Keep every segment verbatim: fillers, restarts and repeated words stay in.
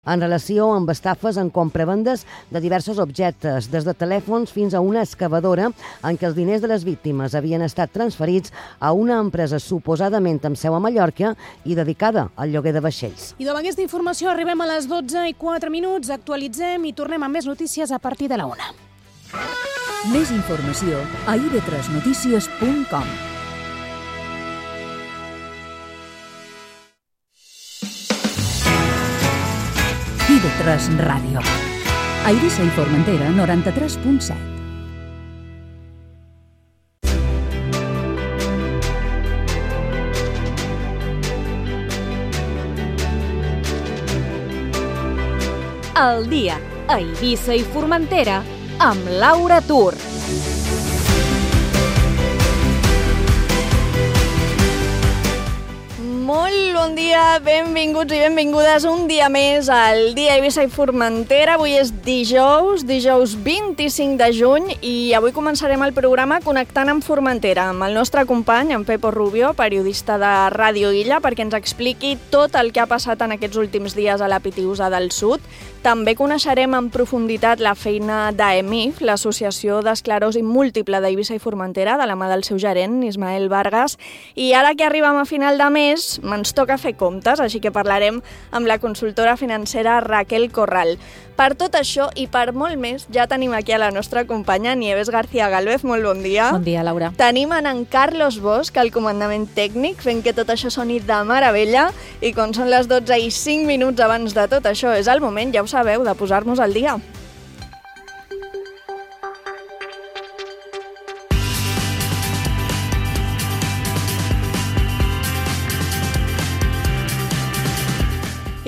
en relació amb estafes en compravendes de diversos objectes, des de telèfons fins a una excavadora en què els diners de les víctimes havien estat transferits a una empresa suposadament amb seu a Mallorca i dedicada al lloguer de vaixells. I amb aquesta informació arribem a les dotze i quatre minuts, actualitzem i tornem amb més notícies a partir de la una. Més informació a i ve tres notícies punt com. i ve tres Ràdio. A Eivissa i Formentera, noranta-tres punt set. El dia a Eivissa i Formentera amb Laura Tur. Molt bon dia, benvinguts i benvingudes un dia més al Dia Eivissa i Formentera. Avui és dijous, dijous vint-i-cinc de juny i avui començarem el programa connectant amb Formentera, amb el nostre company, en Pepo Rubio, periodista de Ràdio Illa, perquè ens expliqui tot el que ha passat en aquests últims dies a la Pitiusa del Sud. També coneixerem en profunditat la feina d'A E M I F, l'Associació d'Esclerosi Múltiple d'Eivissa i Formentera, de la mà del seu gerent, Ismael Vargas. I ara que arribem a final de mes, ens toca fer comptes, així que parlarem amb la consultora financera Raquel Corral. Per tot això i per molt més, ja tenim aquí a la nostra companya Nieves García Galvez. Molt bon dia. Bon dia, Laura. Tenim en, en Carlos Bosch, al comandament tècnic, fent que tot això soni de meravella. I com són les dotze i cinc minuts abans de tot això, és el moment, ja ho sabeu, de posar-nos al dia.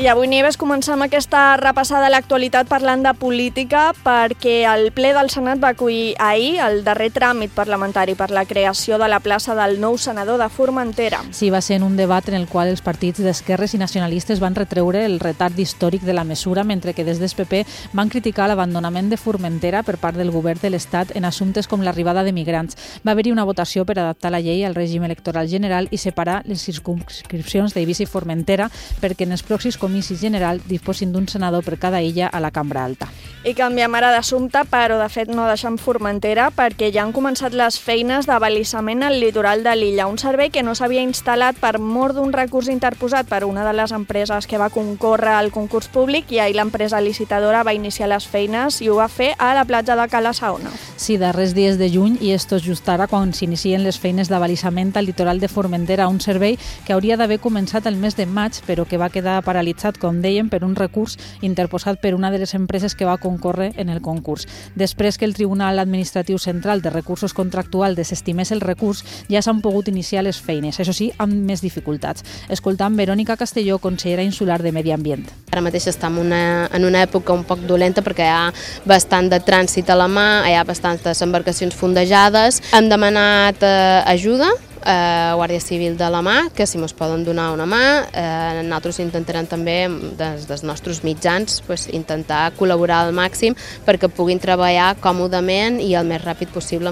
I avui, Nieves, comencem aquesta repassada a l'actualitat parlant de política perquè el ple del Senat va acollir ahir el darrer tràmit parlamentari per la creació de la plaça del nou senador de Formentera. Sí, va ser en un debat en el qual els partits d'esquerres i nacionalistes van retreure el retard històric de la mesura, mentre que des del P P van criticar l'abandonament de Formentera per part del govern de l'Estat en assumptes com l'arribada de migrants. Va haver-hi una votació per adaptar la llei al règim electoral general i separar les circumscripcions d'Eivissa i Formentera perquè en els pròxims comicis general disposin d'un senador per cada illa a la Cambra Alta. I canviem ara d'assumpte, però de fet no deixem Formentera perquè ja han començat les feines d'abalisament al litoral de l'illa, un servei que no s'havia instal·lat per mor d'un recurs interposat per una de les empreses que va concórrer al concurs públic i ahir l'empresa licitadora va iniciar les feines i ho va fer a la platja de Cala Saona. Sí, darrers dies de juny i esto és just ara quan s'inicien les feines d'abalisament al litoral de Formentera, un servei que hauria d'haver començat el mes de maig però que va quedar paralitzat, com dèiem, per un recurs interposat per una de les empreses que va concórrer en el concurs. Després que el Tribunal Administratiu Central de Recursos Contractuals desestimés el recurs, ja s'han pogut iniciar les feines, això sí, amb més dificultats. Escoltant Verònica Castelló, consellera insular de Medi Ambient. Ara mateix estem una, en una època un poc dolenta perquè hi ha bastant de trànsit a la mà, hi ha bastantes embarcacions fondejades. Hem demanat eh, ajuda Eh, Guàrdia Civil de la mà, que si ens poden donar una mà, eh, nosaltres intentarem també des dels nostres mitjans pues, intentar col·laborar al màxim perquè puguin treballar còmodament i el més ràpid possible.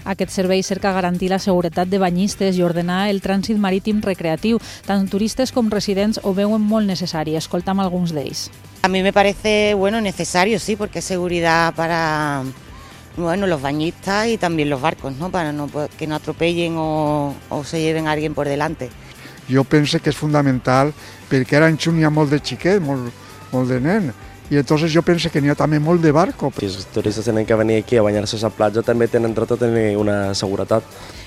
Aquest servei cerca garantir la seguretat de banyistes i ordenar el trànsit marítim recreatiu. Tant turistes com residents ho veuen molt necessari. Escoltam alguns d'ells. A mí me parece bueno, necesario, sí, porque es seguridad para... Bueno, los bañistas y también los barcos, ¿no? Para no, que no atropellen o, o se lleven a alguien por delante. Jo penso que és fundamental perquè ara en Xun hi ha molt de xiquet, molt, molt de nen, i entonces jo penso que n'hi ha també molt de barco. Si els turistes tenen que venir aquí a banyar-se a la platja també tenen dret a tenir una seguretat.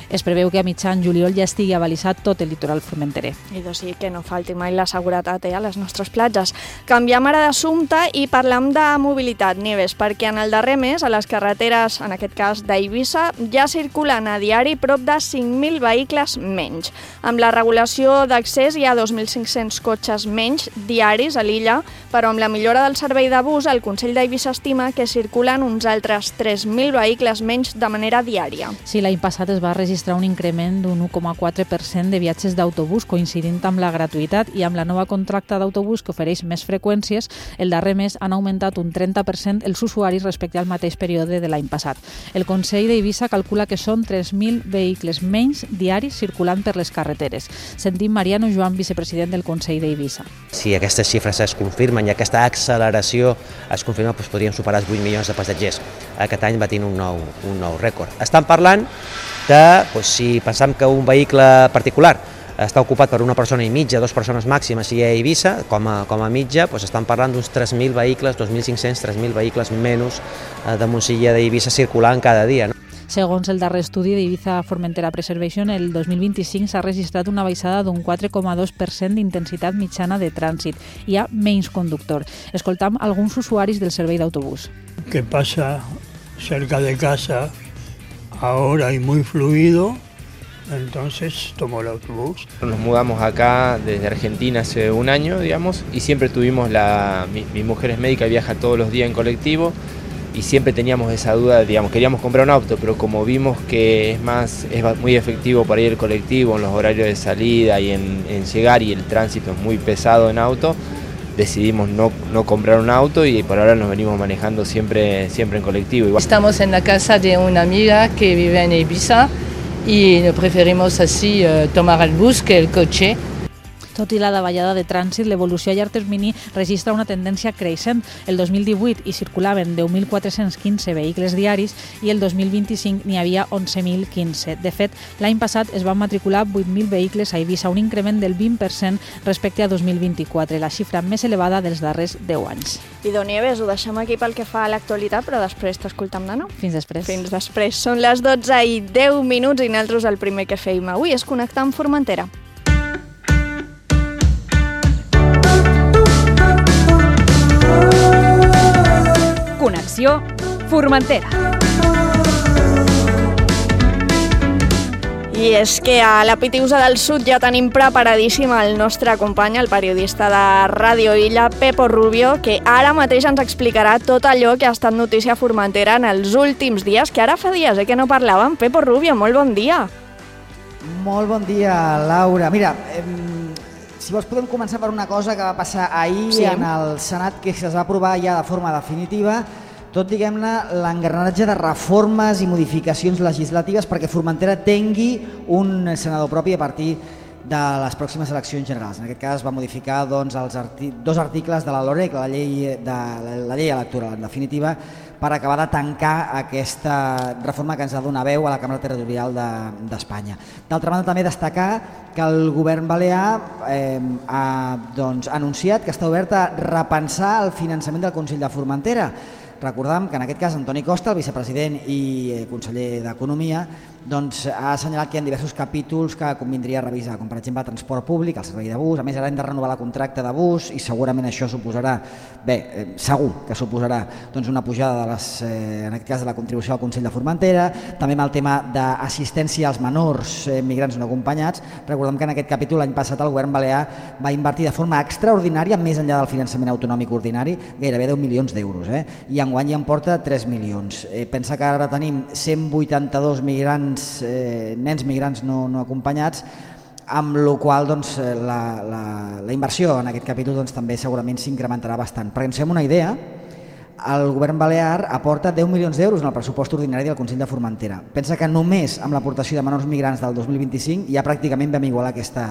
Es preveu que a mitjan juliol ja estigui abalisat tot el litoral formenterer. I doncs sí, que no falti mai la seguretat eh, a les nostres platges. Canviem ara d'assumpte i parlem de mobilitat, Nieves, perquè en el darrer mes a les carreteres, en aquest cas d'Eivissa, ja circulen a diari prop de cinc mil vehicles menys. Amb la regulació d'accés hi ha dos mil cinc-cents cotxes menys diaris a l'illa, però amb la millora del servei de bus, el Consell d'Eivissa estima que circulen uns altres tres mil vehicles menys de manera diària. Sí, l'any passat es va registrar registrar un increment d'un u coma quatre per cent de viatges d'autobús, coincidint amb la gratuïtat, i amb la nova contracta d'autobús que ofereix més freqüències, el darrer mes han augmentat un trenta per cent els usuaris respecte al mateix període de l'any passat. El Consell d'Eivissa calcula que són tres mil vehicles menys diaris circulant per les carreteres. Sentim Mariano Joan, vicepresident del Consell d'Eivissa. Si aquestes xifres es confirmen i aquesta acceleració es confirma, doncs podríem superar els vuit milions de passatgers. Aquest any va tenir un nou, un nou rècord. Estan parlant de, doncs, si pensam que un vehicle particular està ocupat per una persona i mitja, dues persones màximes si hi ha a Eivissa, com a, com a mitja, doncs estan parlant d'uns tres mil vehicles, dos mil cinc-cents, tres mil vehicles menys de Montsilla d'Eivissa circulant cada dia. No? Segons el darrer estudi d'Ibiza Formentera Preservation, el dos mil vint-i-cinc s'ha registrat una baixada d'un quatre coma dos per cent d'intensitat mitjana de trànsit. Hi ha menys conductor. Escoltam alguns usuaris del servei d'autobús. Que pasa cerca de casa ahora y muy fluido, entonces tomo el autobús. Nos mudamos acá desde Argentina hace un año, digamos, y siempre tuvimos la... Mi, mi mujer es médica, viaja todos los días en colectivo, y siempre teníamos esa duda, digamos, queríamos comprar un auto, pero como vimos que es más es muy efectivo para ir el colectivo en los horarios de salida y en, en llegar, y el tránsito es muy pesado en auto, decidimos no, no comprar un auto y por ahora nos venimos manejando siempre, siempre en colectivo. Igual. Estamos en la casa de una amiga que vive en Eivissa y preferimos así uh, tomar el bus que el coche. Tot i la davallada de trànsit, l'evolució a llarg termini registra una tendència creixent. El dos mil divuit hi circulaven deu mil quatre-cents quinze vehicles diaris i el dos mil vint-i-cinc n'hi havia onze mil quinze. De fet, l'any passat es van matricular vuit mil vehicles a Eivissa, un increment del vint per cent respecte a dos mil vint-i-quatre, la xifra més elevada dels darrers deu anys. Idò Nieves, ho deixem aquí pel que fa a l'actualitat, però després t'escoltam, nano? Fins després. Fins després. Són les dotze i deu minuts i nosaltres el primer que feim avui és connectar amb Formentera. Connexió Formentera. I és que a la Pitiusa del Sud ja tenim preparadíssim el nostre company, el periodista de Ràdio Illa, Pepo Rubio, que ara mateix ens explicarà tot allò que ha estat notícia a Formentera en els últims dies, que ara fa dies eh, que no parlàvem. Pepo Rubio, molt bon dia. Molt bon dia, Laura. Mira, eh, si vols podem començar per una cosa que va passar ahir sí. en el Senat, que es va aprovar ja de forma definitiva, tot, diguem-ne, l'engranatge de reformes i modificacions legislatives perquè Formentera tingui un senador propi a partir de les pròximes eleccions generals. En aquest cas es va modificar doncs, els arti- dos articles de la LOREC, la llei, de, la llei electoral, en definitiva, per acabar de tancar aquesta reforma que ens ha de donar veu a la Cambra Territorial d'Espanya. De, D'altra banda, també destacar que el govern balear eh, ha doncs, anunciat que està obert a repensar el finançament del Consell de Formentera. Recordem que en aquest cas Antoni Costa, el vicepresident i conseller d'Economia, doncs, ha assenyalat que hi ha diversos capítols que convindria revisar, com per exemple el transport públic, el servei de bus. A més, ara hem de renovar la contracte de bus i segurament això suposarà, bé, eh, segur que suposarà doncs, una pujada de les, eh, en aquest cas de la contribució al Consell de Formentera. També amb el tema d'assistència als menors eh, migrants no acompanyats. Recordem que en aquest capítol l'any passat el govern balear va invertir de forma extraordinària, més enllà del finançament autonòmic ordinari, gairebé deu milions d'euros, eh? I enguany ja en porta tres milions. Eh, pensa que ara tenim cent vuitanta-dos migrants, eh, nens migrants no, no acompanyats, amb la qual doncs, la, la, la inversió en aquest capítol doncs, també segurament s'incrementarà bastant. Perquè ens fem una idea, el govern balear aporta deu milions d'euros en el pressupost ordinari del Consell de Formentera. Pensa que només amb l'aportació de menors migrants del dos mil vint-i-cinc ja pràcticament vam igualar aquesta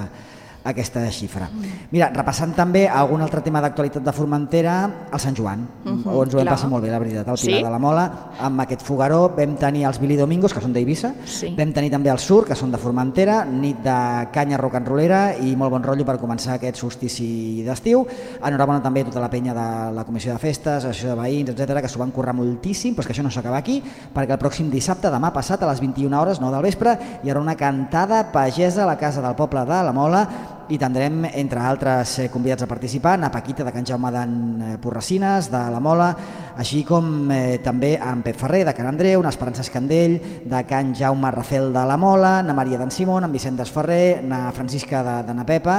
aquesta xifra. Mira, repassant també algun altre tema d'actualitat de Formentera, el Sant Joan, uh -huh, on ens ho vam passar molt bé, la veritat, al Pilar sí? de la Mola, amb aquest fogueró. Vam tenir els Billy Domingos, que són d'Eivissa, sí. Vam tenir també el Sur, que són de Formentera, nit de canya rock and rollera i molt bon rotllo per començar aquest solstici d'estiu. Enhorabona també a tota la penya de la Comissió de Festes, l'associació de veïns, etcètera, que s'ho van currar moltíssim, però és que això no s'acaba aquí, perquè el pròxim dissabte, demà passat, a les vint i una hores, nou del vespre, hi haurà una cantada pagesa a la Casa del Poble de la Mola, i tindrem, entre altres convidats a participar, na Paquita de Can Jaume d'en Porracines, de la Mola, així com eh, també en Pep Ferrer de Can Andreu, na Esperança Escandell de Can Jaume Rafel de la Mola, na Maria d'en Simón, en Vicent Desferrer, na Francisca de, de na Pepa,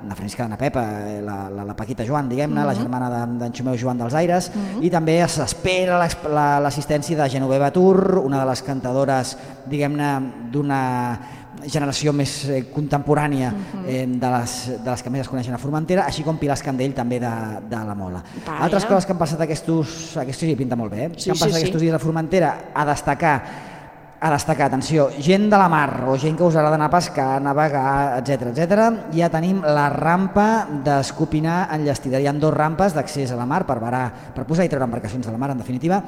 na Francisca de na Pepa, la, la, la Paquita Joan, diguem-ne, mm-hmm. la germana d'en de, Xumeu Joan dels Aires, mm-hmm. i també s'espera l'assistència de Genoveva Tur, una de les cantadores, diguem-ne, d'una generació més eh, contemporània eh, de, les, de les que més es coneixen a Formentera, així com Pilar Escandell també de, de la Mola. Vaya. Altres coses que han passat aquests, aquests dies, pinta molt bé, eh? Sí, que han passat sí, aquests sí. dies a Formentera, a destacar, a destacar, atenció, gent de la mar o gent que us agrada anar a pescar, navegar, etcètera, etcètera. Ja tenim la rampa d'Escopinar enllestida. Hi ha dues rampes d'accés a la mar per, varar, per posar i treure embarcacions de la mar, en definitiva.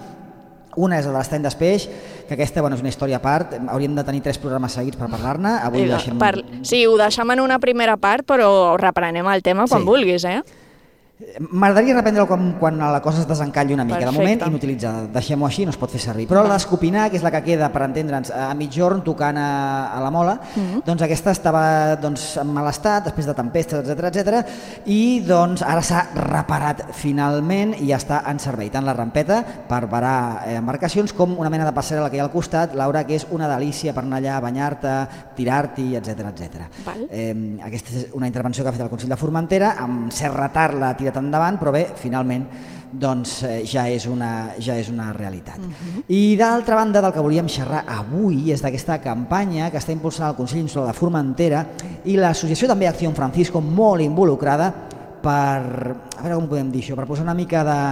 Una és la de l'Estany d'Espeix, que aquesta bueno, és una història a part, hauríem de tenir tres programes seguits per parlar-ne. Avui deixem... per... Sí, ho deixem en una primera part, però reprenem el tema quan sí. vulguis, eh? M'agradaria reprendre-ho quan, quan la cosa es desencalli una mica. Perfecte. De moment, inutilitzada. Deixem-ho així, no es pot fer servir. Però la d'Escopinar, que és la que queda, per entendre'ns, a mitjorn tocant a, a la Mola, mm-hmm. doncs aquesta estava doncs, en mal estat, després de tempestes, etcètera, etcètera, i doncs ara s'ha reparat finalment i ja està en servei. Tant la rampeta per varar eh, embarcacions com una mena de passarel·la que hi ha al costat, Laura, que és una delícia per anar allà a banyar-te, tirar-t'hi, etcètera, etcètera. Eh, aquesta és una intervenció que ha fet el Consell de Formentera, amb cert retard la tirat endavant, però bé, finalment doncs, eh, ja, és una, ja és una realitat. Uh-huh. I d'altra banda, del que volíem xerrar avui és d'aquesta campanya que està impulsant el Consell Insular de Formentera i l'associació també Acció Francisco, molt involucrada per, a veure com podem dir això, per posar una mica de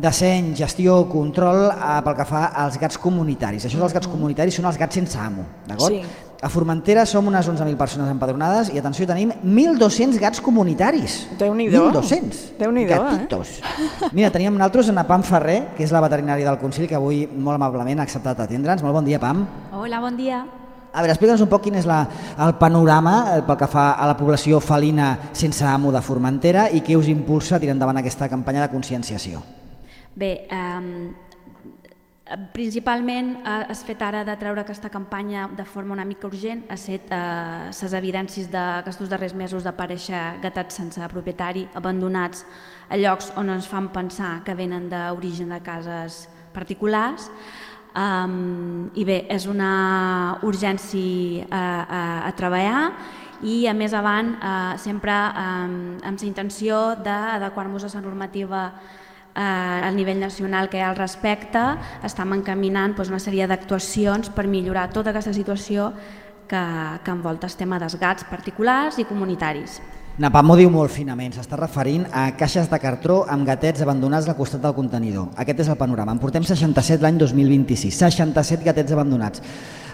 disseny, gestió, control eh, pel que fa als gats comunitaris. Això dels gats comunitaris són els gats sense amo, d'acord? Sí. A Formentera som unes onze mil persones empadronades i, atenció, tenim mil dos-cents gats comunitaris. Déu-n'hi-do. mil dos-cents gatitos. Eh? Mira, teníem nosaltres en Pam Ferrer, que és la veterinària del Consell, que avui molt amablement ha acceptat atendre'ns. Molt bon dia, Pam. Hola, bon dia. A veure, explica'ns un poc quin és la, el panorama pel que fa a la població felina sense amo de Formentera i què us impulsa a tirar endavant aquesta campanya de conscienciació. Bé, eh, principalment has fet ara de treure aquesta campanya de forma una mica urgent, ha set eh, les evidències d'aquests darrers mesos d'aparèixer gatats sense propietari abandonats a llocs on ens fan pensar que venen d'origen de cases particulars. Um, I bé, és una urgència a, a, a treballar i a més avant eh, sempre um, amb la intenció d'adequar-nos a la normativa a nivell nacional que hi ha al respecte. Estem encaminant doncs, una sèrie d'actuacions per millorar tota aquesta situació que, que envolta el tema dels gats particulars i comunitaris. Napam ho diu molt finament, s'està referint a caixes de cartró amb gatets abandonats al costat del contenidor. Aquest és el panorama. En portem seixanta-set l'any dos mil vint-i-sis, seixanta-set gatets abandonats.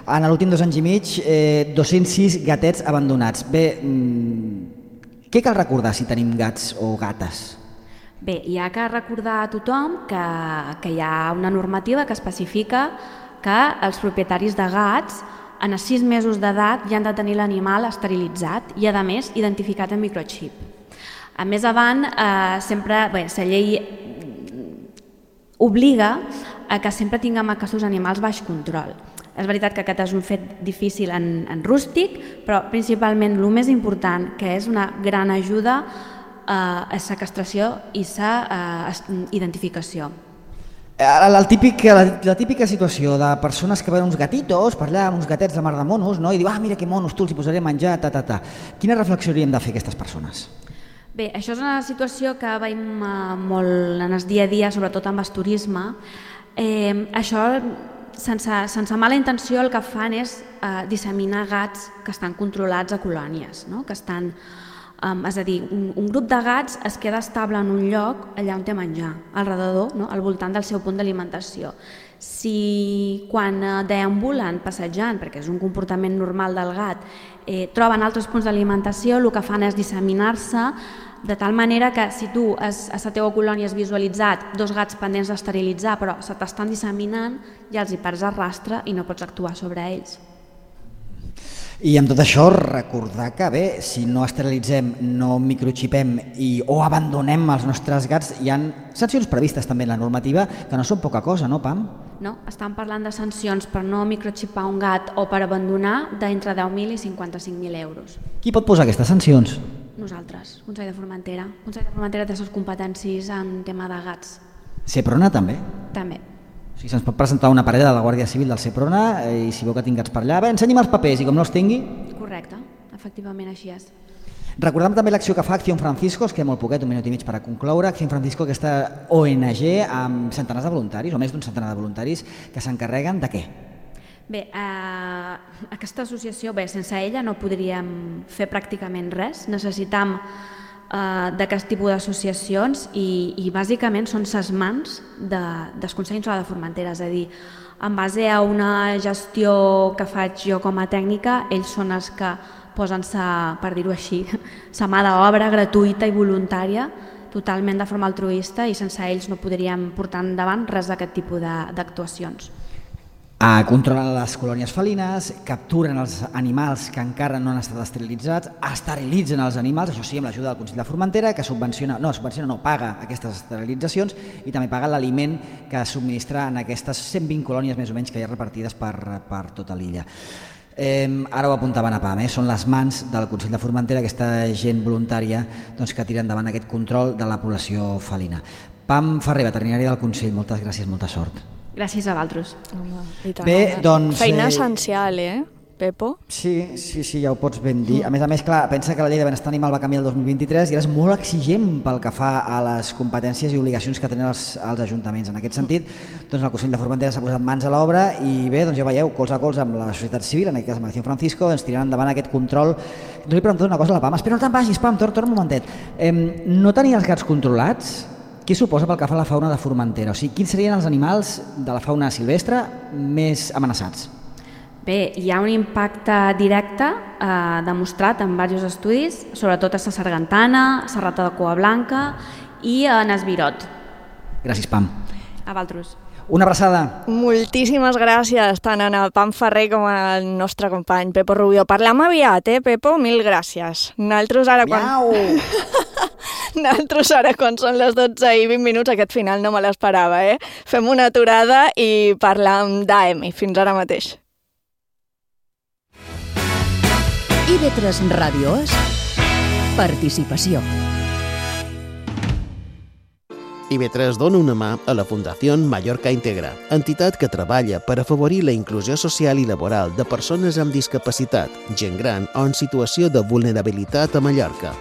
En l'últim dos anys i mig, eh, dos-cents sis gatets abandonats. Bé, mmm, què cal recordar si tenim gats o gates? Bé, hi ha que recordar a tothom que, que hi ha una normativa que especifica que els propietaris de gats en els sis mesos d'edat ja han de tenir l'animal esterilitzat i, a més, identificat amb microxip. A més avant, eh, sempre, bé, la llei obliga a que sempre tinguem aquests animals baix control. És veritat que aquest és un fet difícil en, en rústic, però principalment el més important, que és una gran ajuda a la castració i la identificació. El típic, la, la típica situació de persones que veuen uns gatitos per allà, uns gatets de mar de monos, no? I diuen, ah, mira que monos, tu els hi posaré a menjar, ta, ta, ta. Quina reflexió hauríem de fer aquestes persones? Bé, això és una situació que veiem molt en el dia a dia, sobretot amb el turisme. Eh, això, sense, sense mala intenció, el que fan és eh, disseminar gats que estan controlats a colònies, no? Que estan... Um, és a dir, un, un grup de gats es queda estable en un lloc allà on té menjar, al redador, no? Al voltant del seu punt d'alimentació. Si quan eh, deambulen, passejant, perquè és un comportament normal del gat, eh, troben altres punts d'alimentació, el que fan és disseminar-se de tal manera que si tu has, a la teva colònia has visualitzat dos gats pendents d'esterilitzar però se t'estan disseminant, ja els hi perds el rastre i no pots actuar sobre ells. I amb tot això recordar que bé, si no esterilitzem, no microxipem i, o abandonem els nostres gats, hi ha sancions previstes també en la normativa que no són poca cosa, no, Pam? No? Estan parlant de sancions per no microxipar un gat o per abandonar d'entre deu mil i cinquanta-cinc mil euros. Qui pot posar aquestes sancions? Nosaltres, Consell de Formentera. Consell de Formentera té les competències en tema de gats. Seprona també? També. O sigui, se'ns pot presentar una parella de la Guàrdia Civil del Seprona i si veu que tinc gats per allà, bé, ensenyi'm els papers i com no els tingui... Correcte, efectivament així és. Recordem també l'acció que fa Acción Francisco, es queda molt poquet, un minut i mig per a concloure. Acción Francisco, aquesta O N G amb centenars de voluntaris, o més d'un centenar de voluntaris, que s'encarreguen de què? Bé, eh, aquesta associació, bé, sense ella no podríem fer pràcticament res. Necessitam eh, d'aquest tipus d'associacions i, i bàsicament són ses mans de, del Consell Insular de Formentera, és a dir, en base a una gestió que faig jo com a tècnica, ells són els que posen-se, per dir-ho així, sa mà d'obra gratuïta i voluntària, totalment de forma altruista, i sense ells no podríem portar endavant res d'aquest tipus d'actuacions. Ah, controlen les colònies felines, capturen els animals que encara no han estat esterilitzats, esterilitzen els animals, això sí, amb l'ajuda del Consell de Formentera, que subvenciona, no, subvenciona no, paga aquestes esterilitzacions i també paga l'aliment que subministra en aquestes cent vint colònies més o menys que hi ha repartides per, per tota l'illa. Eh, ara ho apuntaven a Pam, eh? Són les mans del Consell de Formentera, aquesta gent voluntària doncs, que tira endavant aquest control de la població felina. Pam Ferrer, veterinària del Consell, moltes gràcies, molta sort. Gràcies a vosaltres. Bé, doncs... Feina eh... essencial, eh, Pepo? Sí, sí, sí, ja ho pots ben dir. A més a més, clar, pensa que la llei de benestar animal va canviar el dos mil vint-i-tres i ara és molt exigent pel que fa a les competències i obligacions que tenen els, els ajuntaments. En aquest sentit, doncs el Consell de Formentera s'ha posat mans a l'obra i bé, doncs ja veieu, colze a colze amb la societat civil, en aquest cas amb Acción Francisco, ens tiraran endavant aquest control. No li pregunto una cosa a la Pam, espera, no te'n vagis, Pam, torna un momentet. Eh, no tenir els gats controlats, què suposa pel que fa a la fauna de Formentera? O sigui, quins serien els animals de la fauna silvestre més amenaçats? Bé, hi ha un impacte directe eh, demostrat en diversos estudis, sobretot a la sargantana, la rata de cua blanca i en esbirot. Gràcies, Pam. A vosaltres. Una abraçada. Moltíssimes gràcies tant a Pam Ferrer com al nostre company Pepo Rubio. Parlam aviat, eh, Pepo? Mil gràcies. Nosaltres ara quan... Miau! Nosaltres ara quan són les dotze i vint minuts, aquest final no me l'esperava, eh? Fem una aturada i parlam d'A M I. Fins ara mateix. I V tres Ràdio és participació. I V tres dona una mà a la Fundació Mallorca Integra, entitat que treballa per afavorir la inclusió social i laboral de persones amb discapacitat, gent gran o en situació de vulnerabilitat a Mallorca.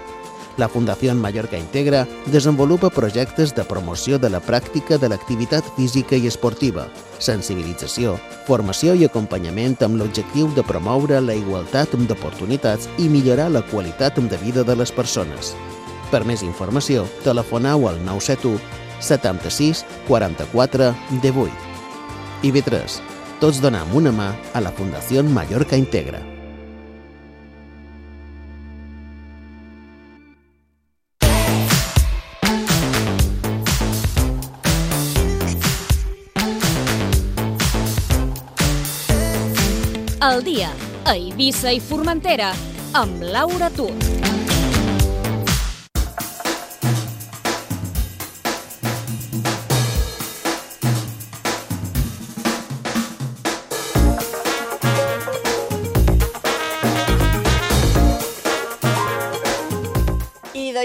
La Fundació Mallorca Integra desenvolupa projectes de promoció de la pràctica de l'activitat física i esportiva, sensibilització, formació i acompanyament amb l'objectiu de promoure la igualtat d'oportunitats i millorar la qualitat de vida de les persones. Per més informació, telefoneu al nou set u setanta-sis quaranta-quatre divuit. I V tres, tots donem una mà a la Fundació Mallorca Integra. El dia a Eivissa i Formentera amb Laura Tur.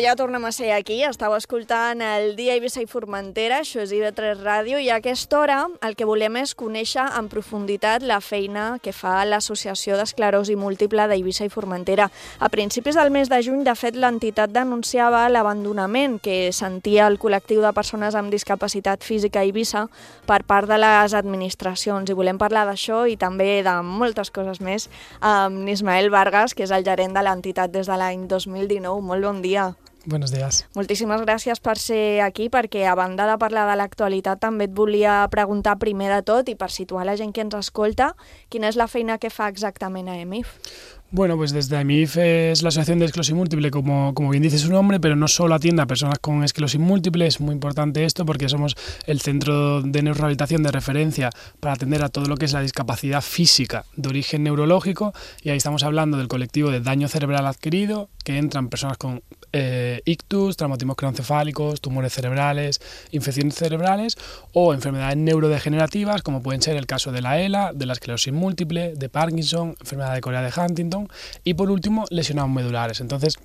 Ja tornem a ser aquí, estàu escoltant el dia Eivissa i Formentera, això és I V tres Ràdio, i a aquesta hora el que volem és conèixer en profunditat la feina que fa l'Associació d'Esclerosi Múltiple d'Eivissa i Formentera. A principis del mes de juny, de fet, l'entitat denunciava l'abandonament que sentia el col·lectiu de persones amb discapacitat física a Eivissa per part de les administracions, i volem parlar d'això i també de moltes coses més amb Ismael Vargas, que és el gerent de l'entitat des de l'any dos mil dinou. Molt bon dia. Buenos días. Moltíssimes gràcies per ser aquí, perquè a banda de parlar de l'actualitat també et volia preguntar primer de tot, i per situar la gent que ens escolta, quina és la feina que fa exactament a E M I F? Bueno, pues desde E M I F es la Asociación de Esclerosis Múltiple, como, como bien dice su nombre, pero no solo atiende a personas con esclerosis múltiple. Es muy importante esto porque somos el centro de neurorehabilitación de referencia para atender a todo lo que es la discapacidad física de origen neurológico, y ahí estamos hablando del colectivo de daño cerebral adquirido, que entran personas con eh, ictus, traumatismos craneoencefálicos, tumores cerebrales, infecciones cerebrales o enfermedades neurodegenerativas, como pueden ser el caso de la E L A, de la esclerosis múltiple, de Parkinson, enfermedad de Corea de Huntington y, por último, lesionados medulares. Entonces,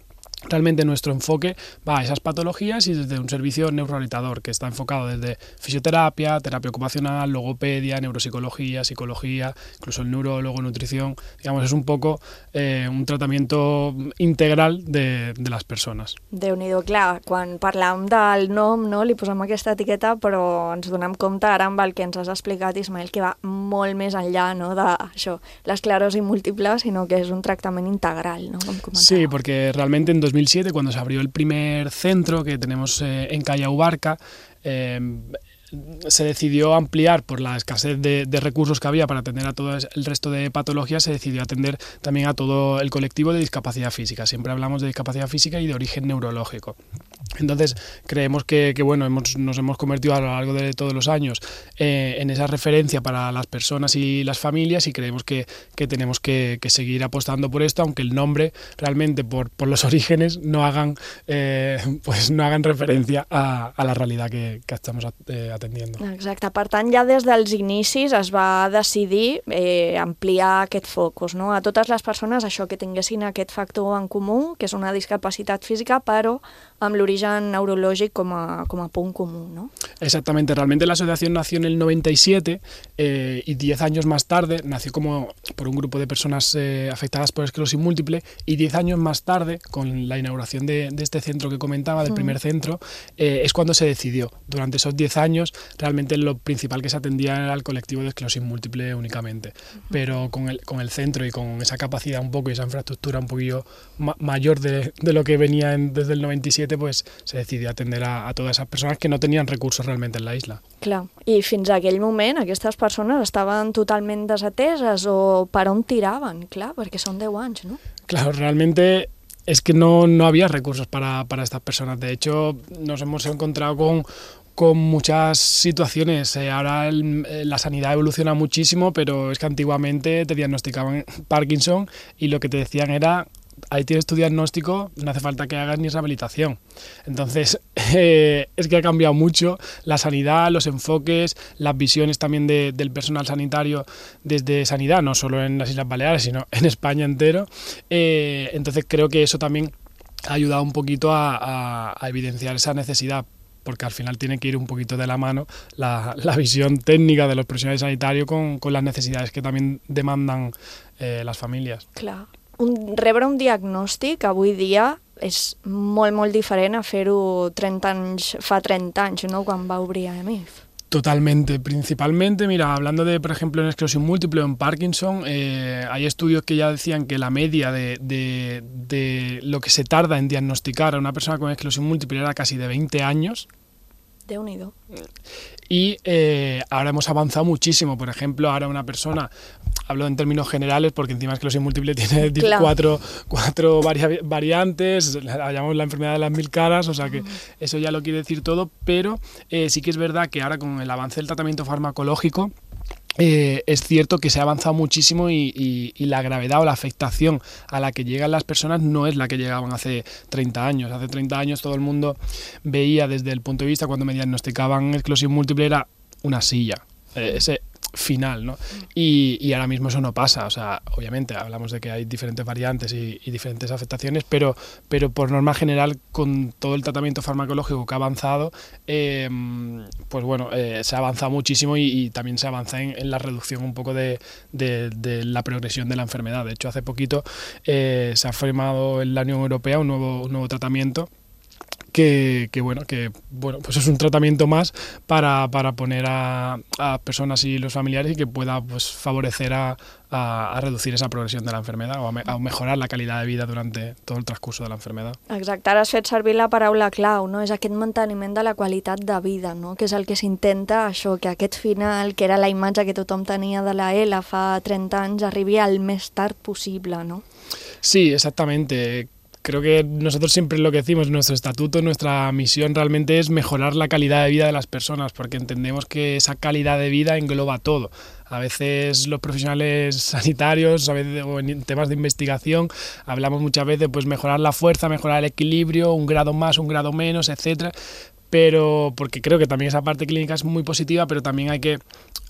realmente nuestro enfoque va a esas patologías y desde un servicio neurorehabilitador que está enfocado desde fisioterapia, terapia ocupacional, logopedia, neuropsicología, psicología, incluso el neurólogo, nutrición. Digamos, es un poco eh, un tratamiento integral de, de les persones. Déu-n'hi-do, clar, quan parlàvem del nom, no, li posem aquesta etiqueta, però ens donem compte ara amb el que ens has explicat, Ismael, que va molt més enllà, no, d'això, l'esclerosi múltiple, sinó que és un tractament integral, no, com comentava. Sí, porque realmente en dos mil siete, cuando se abrió el primer centro que tenemos eh, en Callao Barca, eh, se decidió ampliar por la escasez de, de recursos que había para atender a todo el resto de patologías, se decidió atender también a todo el colectivo de discapacidad física. Siempre hablamos de discapacidad física y de origen neurológico. Entonces creemos que, que bueno, hemos, nos hemos convertido a lo largo de todos los años eh, en esa referencia para las personas y las familias y creemos que, que tenemos que, que seguir apostando por esto, aunque el nombre realmente por, por los orígenes no hagan, eh, pues no hagan referencia a, a la realidad que, que estamos eh, atendiendo. Exacte, per tant ja des dels inicis es va decidir eh, ampliar aquest focus, no? A totes les persones això que tinguessin aquest factor en comú, que és una discapacitat física, però amb l'origen neurològic com a, com a punt comú, ¿no? Exactamente, realmente la asociación nació en el noventa y siete eh, y diez años más tarde nació como por un grupo de personas eh, afectadas por esclerosis múltiple y diez años más tarde, con la inauguración de, de este centro que comentaba, del mm. primer centro, eh, es cuando se decidió. Durante esos diez años realmente lo principal que se atendía era el colectivo de esclerosis múltiple únicamente, mm. pero con el, con el centro y con esa capacidad un poco y esa infraestructura un poquillo ma mayor de, de lo que venía en, desde el noventa y siete, pues se decidió atender a, a todas esas personas que no tenían recursos realmente en la isla. Clar, i fins a aquell moment aquestes persones estaven totalment desateses o per on tiraven, clar, perquè són deu anys, ¿no? Claro, realmente es que no, no había recursos para, para estas personas. De hecho, nos hemos encontrado con con muchas situaciones. Eh, ahora el, la sanidad evoluciona muchísimo, pero es que antiguamente te diagnosticaban Parkinson y lo que te decían era: ahí tienes tu diagnóstico, no hace falta que hagas ni rehabilitación. Entonces, eh, es que ha cambiado mucho la sanidad, los enfoques, las visiones también de, del personal sanitario desde sanidad, no solo en las Islas Baleares, sino en España entero. Eh, entonces, creo que eso también ha ayudado un poquito a, a, a evidenciar esa necesidad, porque al final tiene que ir un poquito de la mano la, la visión técnica de los profesionales sanitarios con, con las necesidades que también demandan eh, las familias. Clar. Un, rebre un diagnòstic avui dia és molt, molt diferent a fer-ho trenta anys, fa trenta anys, ¿no?, quan va obrir A M I F. Totalmente, principalmente, mira, hablando de, por ejemplo, en esclerosis múltiple o en Parkinson, eh, hay estudios que ya decían que la media de, de, de lo que se tarda en diagnosticar a una persona con esclerosis múltiple era casi de veinte años. Déu-n'hi-do. Y eh, ahora hemos avanzado muchísimo. Por ejemplo, ahora una persona, hablo en términos generales porque encima esclerosis múltiple tiene claro. cuatro, cuatro vari variantes, la llamamos la enfermedad de las mil caras, o sea que eso ya lo quiere decir todo, pero eh, sí que es verdad que ahora con el avance del tratamiento farmacológico, Eh, es cierto que se ha avanzado muchísimo y, y, y la gravedad o la afectación a la que llegan las personas no es la que llegaban hace treinta años. Hace treinta años todo el mundo veía desde el punto de vista, cuando me diagnosticaban esclerosis múltiple, era una silla, eh, ese final, ¿no? Y, y ahora mismo eso no pasa. O sea, obviamente hablamos de que hay diferentes variantes y, y diferentes afectaciones, pero, pero por norma general, con todo el tratamiento farmacológico que ha avanzado, eh, pues bueno, eh, se ha avanzado muchísimo y, y también se avanza en, en la reducción un poco de, de, de la progresión de la enfermedad. De hecho, hace poquito eh, se ha firmado en la Unión Europea un nuevo, un nuevo tratamiento Que, que bueno, que bueno, pues es un tratamiento más para, para poner a, a personas y los familiares y que pueda pues favorecer a, a, a reducir esa progresión de la enfermedad o a, me, a mejorar la calidad de vida durante todo el transcurso de la enfermedad. Exacte, ara has fet servir la paraula clau, no? És aquest manteniment de la qualitat de vida, no? Que és el que s'intenta, això, que aquest final, que era la imatge que tothom tenia de la E L A fa trenta anys, arribi al més tard possible, no? Sí, exactamente. creo que nosotros siempre lo que decimos, nuestro estatuto, nuestra misión realmente es mejorar la calidad de vida de las personas, porque entendemos que esa calidad de vida engloba todo. A veces los profesionales sanitarios, a veces, o en temas de investigación, hablamos muchas veces pues mejorar la fuerza, mejorar el equilibrio, un grado más, un grado menos, etcétera. Pero porque creo que también esa parte clínica es muy positiva, pero también hay que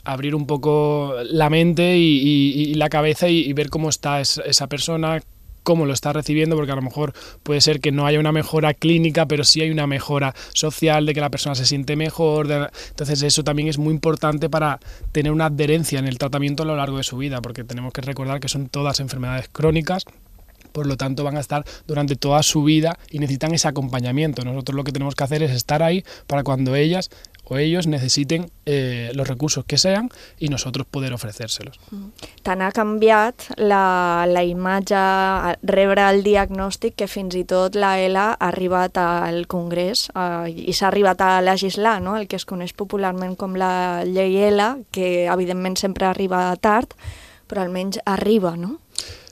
abrir un poco la mente y, y, y la cabeza y, y ver cómo está esa, esa persona, cómo lo está recibiendo, porque a lo mejor puede ser que no haya una mejora clínica, pero sí hay una mejora social, de que la persona se siente mejor. De... Entonces eso también es muy importante para tener una adherencia en el tratamiento a lo largo de su vida, porque tenemos que recordar que son todas enfermedades crónicas, por lo tanto van a estar durante toda su vida y necesitan ese acompañamiento. Nosotros lo que tenemos que hacer es estar ahí para cuando ellas o ellos necessiten eh, los recursos que sean i nosotros poder ofrecérselos. Tant ha canviat la, la imatge, rebre el diagnòstic, que fins i tot la E L A ha arribat al Congrés eh, i s'ha arribat a legislar, no? El que es coneix popularment com la llei E L A, que evidentment sempre arriba tard, però almenys arriba, no?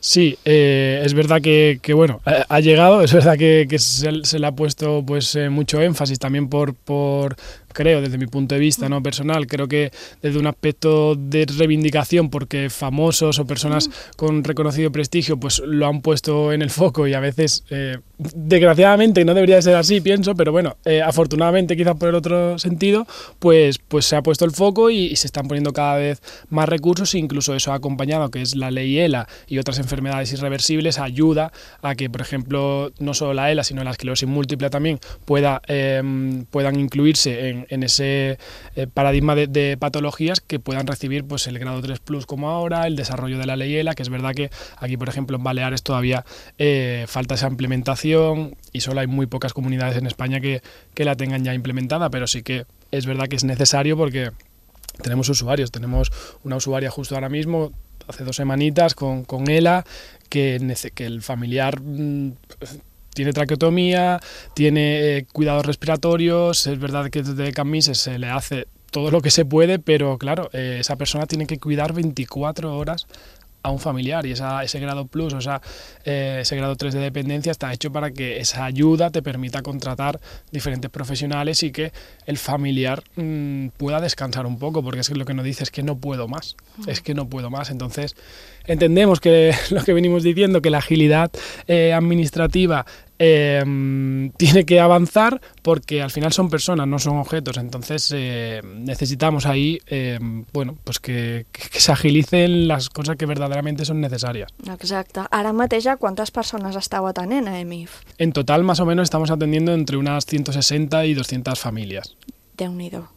Sí, eh, es verdad que, que bueno, ha, ha llegado, es verdad que, que se, se le ha puesto pues eh, mucho énfasis también por, por, creo, desde mi punto de vista, ¿no?, personal, creo que desde un aspecto de reivindicación, porque famosos o personas con reconocido prestigio pues lo han puesto en el foco y a veces, eh, desgraciadamente, no debería ser así, pienso, pero bueno, eh, afortunadamente quizás por el otro sentido, pues, pues se ha puesto el foco y, y se están poniendo cada vez más recursos, e incluso eso ha acompañado, que es la ley E L A y otras enfermedades irreversibles, ayuda a que, por ejemplo, no solo la E L A, sino la esclerosis múltiple también pueda, eh, puedan incluirse en, en ese eh, paradigma de, de patologías que puedan recibir pues el grado tres plus como ahora, el desarrollo de la ley E L A, que es verdad que aquí, por ejemplo, en Baleares todavía eh, falta esa implementación y solo hay muy pocas comunidades en España que, que la tengan ya implementada, pero sí que es verdad que es necesario porque tenemos usuarios, tenemos una usuaria justo ahora mismo, hace dos semanitas, con, con E L A, que, que el familiar mmm, tiene traqueotomía, tiene eh, cuidados respiratorios, es verdad que desde Camisa se le hace todo lo que se puede, pero claro, eh, esa persona tiene que cuidar veinticuatro horas a un familiar y esa, ese grado plus, o sea, eh, ese grado tres de dependencia está hecho para que esa ayuda te permita contratar diferentes profesionales y que el familiar mmm, pueda descansar un poco, porque es que lo que nos dice es que no puedo más, mm. es que no puedo más. Entonces entendemos que lo que venimos diciendo, que la agilidad eh, administrativa Eh, tiene que avanzar porque al final son personas, no son objetos, entonces eh, necesitamos ahí eh, bueno, pues que, que, que se agilicen las cosas que verdaderamente son necesarias. Exacte. Ara mateix a quantes persones esteu atenent a E M I F? En total más o menos estamos atendiendo entre unas ciento sesenta y doscientas familias. Déu-n'hi-do.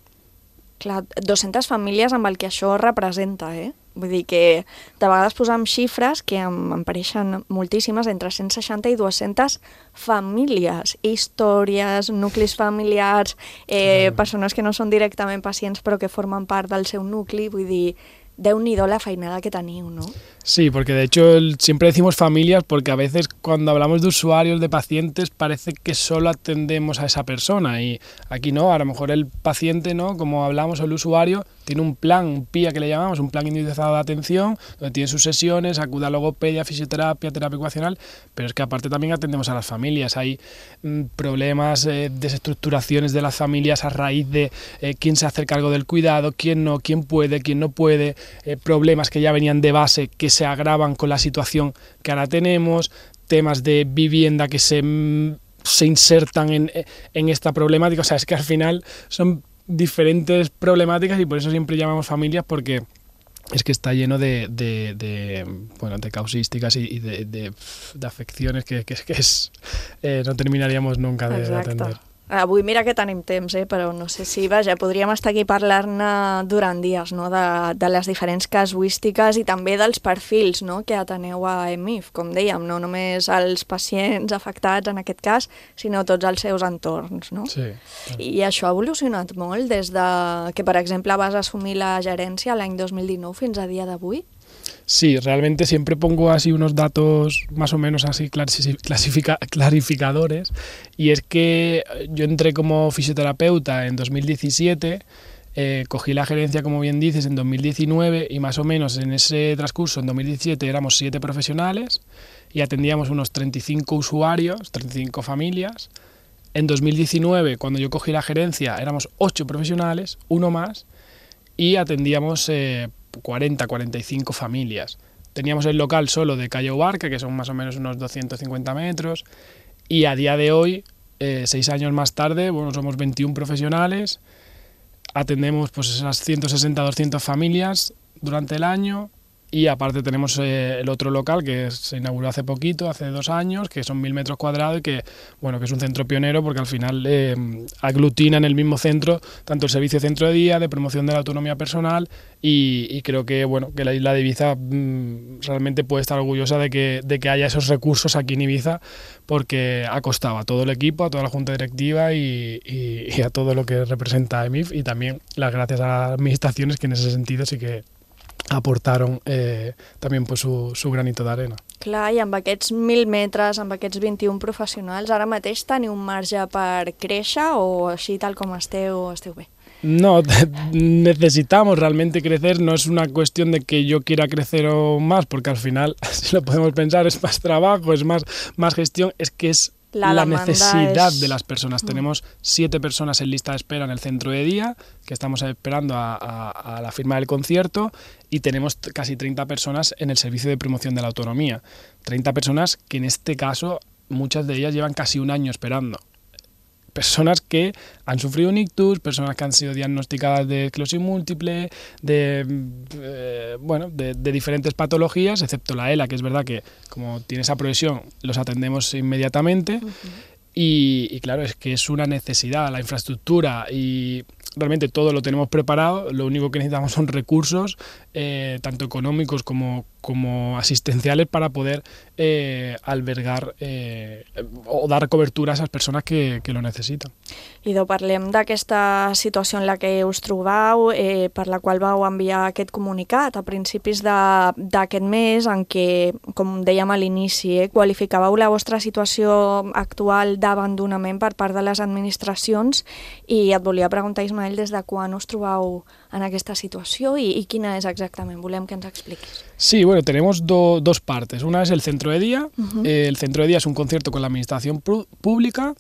Clar, dues-centes famílies amb el que això representa, eh? Vull dir que de vegades posam xifres que em, em pareixen moltíssimes, entre cent seixanta i dues-centes famílies, històries, nuclis familiars, eh, persones que no són directament pacients però que formen part del seu nucli, vull dir, Déu-n'hi-do la feinada que teniu, ¿no? Sí, porque de hecho siempre decimos familias porque a veces cuando hablamos de usuarios, de pacientes, parece que solo atendemos a esa persona y aquí no, a lo mejor el paciente, ¿no?, como hablamos, o el usuario, tiene un plan, un P I A que le llamamos, un plan individualizado de atención, donde tiene sus sesiones, acude a logopedia, fisioterapia, terapia ocupacional, pero es que aparte también atendemos a las familias, hay mmm, problemas, eh, desestructuraciones de las familias a raíz de eh, quién se hace cargo del cuidado, quién no, quién puede, quién no puede, eh, problemas que ya venían de base que se agravan con la situación que ahora tenemos, temas de vivienda que se, se insertan en, en esta problemática, o sea, es que al final son diferentes problemáticas y por eso siempre llamamos familias, porque es que está lleno de, de, de, bueno, de causísticas y, y de, de, de afecciones que, que, que es, eh, no terminaríamos nunca de, de atender. Avui mira que tenim temps, eh? Però no sé si, vaja, podríem estar aquí parlant-ne durant dies, no?, de, de les diferents casuístiques i també dels perfils, no?, que ateneu a E M I F, com dèiem, no només els pacients afectats en aquest cas, sinó tots els seus entorns, no? Sí. I això ha evolucionat molt des de que, per exemple, vas assumir la gerència l'any dos mil dinou fins a dia d'avui? Sí, realmente siempre pongo así unos datos más o menos así clasifica, clarificadores, y es que yo entré como fisioterapeuta en dos mil diecisiete, eh, cogí la gerencia, como bien dices, en dos mil diecinueve y más o menos en ese transcurso, en dos mil diecisiete, éramos siete profesionales y atendíamos unos treinta y cinco usuarios, treinta y cinco familias. En dos mil diecinueve, cuando yo cogí la gerencia, éramos ocho profesionales, uno más, y atendíamos eh, cuarenta, cuarenta y cinco familias. Teníamos el local solo de Calle Ubarca, que son más o menos unos doscientos cincuenta metros, y a día de hoy, eh, seis años más tarde, bueno, somos veintiún profesionales, atendemos pues esas ciento sesenta, doscientas familias durante el año, y aparte tenemos eh, el otro local que se inauguró hace poquito, hace dos años, que son mil metros cuadrados y que, bueno, que es un centro pionero porque al final eh, aglutina en el mismo centro tanto el servicio de centro de día, de promoción de la autonomía personal y, y creo que, bueno, que la isla de Ibiza mmm, realmente puede estar orgullosa de que, de que haya esos recursos aquí en Ibiza porque ha costado a todo el equipo, a toda la junta directiva y, y, y a todo lo que representa E M I F y también las gracias a las administraciones que en ese sentido sí que aportaron eh, també pues, su, su granito d'arena. Clar, i amb aquests mil metres, amb aquests vint-i-un professionals, ara mateix teniu un marge per créixer o així tal com esteu, esteu bé? No, necesitamos realmente crecer, no es una cuestión de que yo quiera crecer o más, porque al final, si lo podemos pensar, es más trabajo, es más, más gestión, es que es la, la necesidad es... de las personas. Mm. Tenemos siete personas en lista de espera en el centro de día, que estamos esperando a, a, a la firma del concierto, y tenemos casi treinta personas en el servicio de promoción de la autonomía. treinta personas que en este caso, muchas de ellas llevan casi un año esperando. Personas que han sufrido un ictus, personas que han sido diagnosticadas de esclerosis múltiple, de, eh, bueno, de, de diferentes patologías, excepto la ELA, que es verdad que como tiene esa progresión los atendemos inmediatamente. Uh-huh. y, y claro, es que es una necesidad, la infraestructura y realmente todo lo tenemos preparado, lo único que necesitamos son recursos, eh, tanto económicos como, como asistenciales para poder eh, albergar eh, o dar cobertura a esas personas que, que lo necesitan. Idò, parlem d'aquesta situació en la que us trobau, eh, per la qual vau enviar aquest comunicat a principis d'aquest mes, en què, com dèiem a l'inici, eh, qualificàveu la vostra situació actual d'abandonament per part de les administracions i et volia preguntar, Ismael, des de quan us trobau en aquesta situació i, y quina és exactament? Volem que ens expliquis. Sí, bueno, tenemos do, dos partes. Una es el centro de día. Uh-huh. eh, el centro de día es un concierto con la administración pública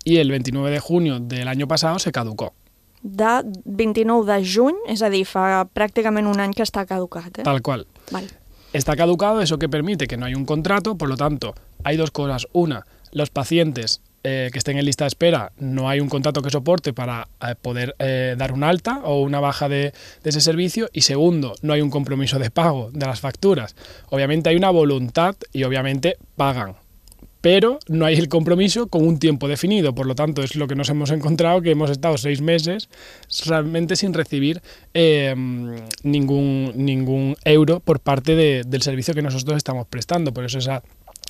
y el veintinueve de junio del año pasado se caducó. De vint-i-nou de juny, és a dir, fa pràcticament un any que està caducat. ¿eh? Tal cual. Vale. Está caducado, eso que permite que no hay un contrato, por lo tanto, hay dos cosas. Una, los pacientes eh, que estén en lista de espera, no hay un contrato que soporte para eh, poder eh, dar un alta o una baja de, de ese servicio. Y segundo, no hay un compromiso de pago de las facturas. Obviamente hay una voluntad y obviamente pagan, pero no hay el compromiso con un tiempo definido. Por lo tanto, es lo que nos hemos encontrado, que hemos estado seis meses realmente sin recibir eh, ningún, ningún euro por parte de, del servicio que nosotros estamos prestando. Por eso esa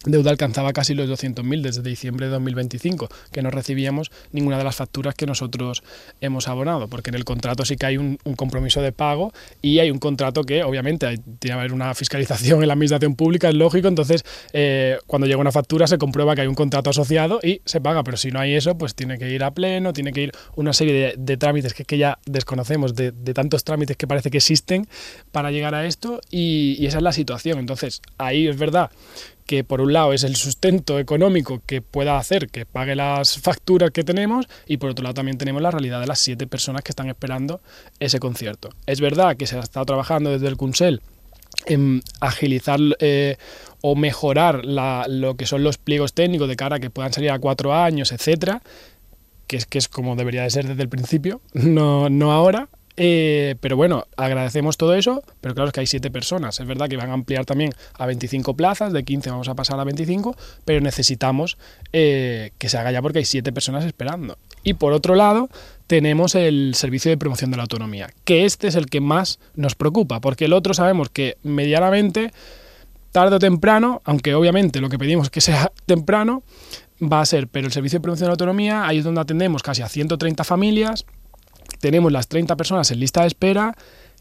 deuda alcanzaba casi los doscientos mil desde diciembre de dos mil veinticinco, que no recibíamos ninguna de las facturas que nosotros hemos abonado, porque en el contrato sí que hay un, un compromiso de pago y hay un contrato que obviamente hay, tiene que haber una fiscalización en la administración pública, es lógico, entonces eh, cuando llega una factura se comprueba que hay un contrato asociado y se paga, pero si no hay eso, pues tiene que ir a pleno, tiene que ir una serie de, de trámites que, que ya desconocemos, de, de tantos trámites que parece que existen para llegar a esto y, y esa es la situación. Entonces ahí es verdad que por un lado es el sustento económico que pueda hacer que pague las facturas que tenemos y por otro lado también tenemos la realidad de las siete personas que están esperando ese concierto. Es verdad que se ha estado trabajando desde el Consell en agilizar eh, o mejorar la, lo que son los pliegos técnicos de cara a que puedan salir a cuatro años, etcétera, que es, que es como debería de ser desde el principio, no, no ahora. Eh, pero bueno, agradecemos todo eso, pero claro es que hay siete personas, es verdad que van a ampliar también a veinticinco plazas, de quince vamos a pasar a veinticinco, pero necesitamos eh, que se haga ya porque hay siete personas esperando. Y por otro lado, tenemos el servicio de promoción de la autonomía, que este es el que más nos preocupa, porque el otro sabemos que medianamente, tarde o temprano, aunque obviamente lo que pedimos es que sea temprano, va a ser, pero el servicio de promoción de la autonomía, ahí es donde atendemos casi a ciento treinta familias. Tenemos las treinta personas en lista de espera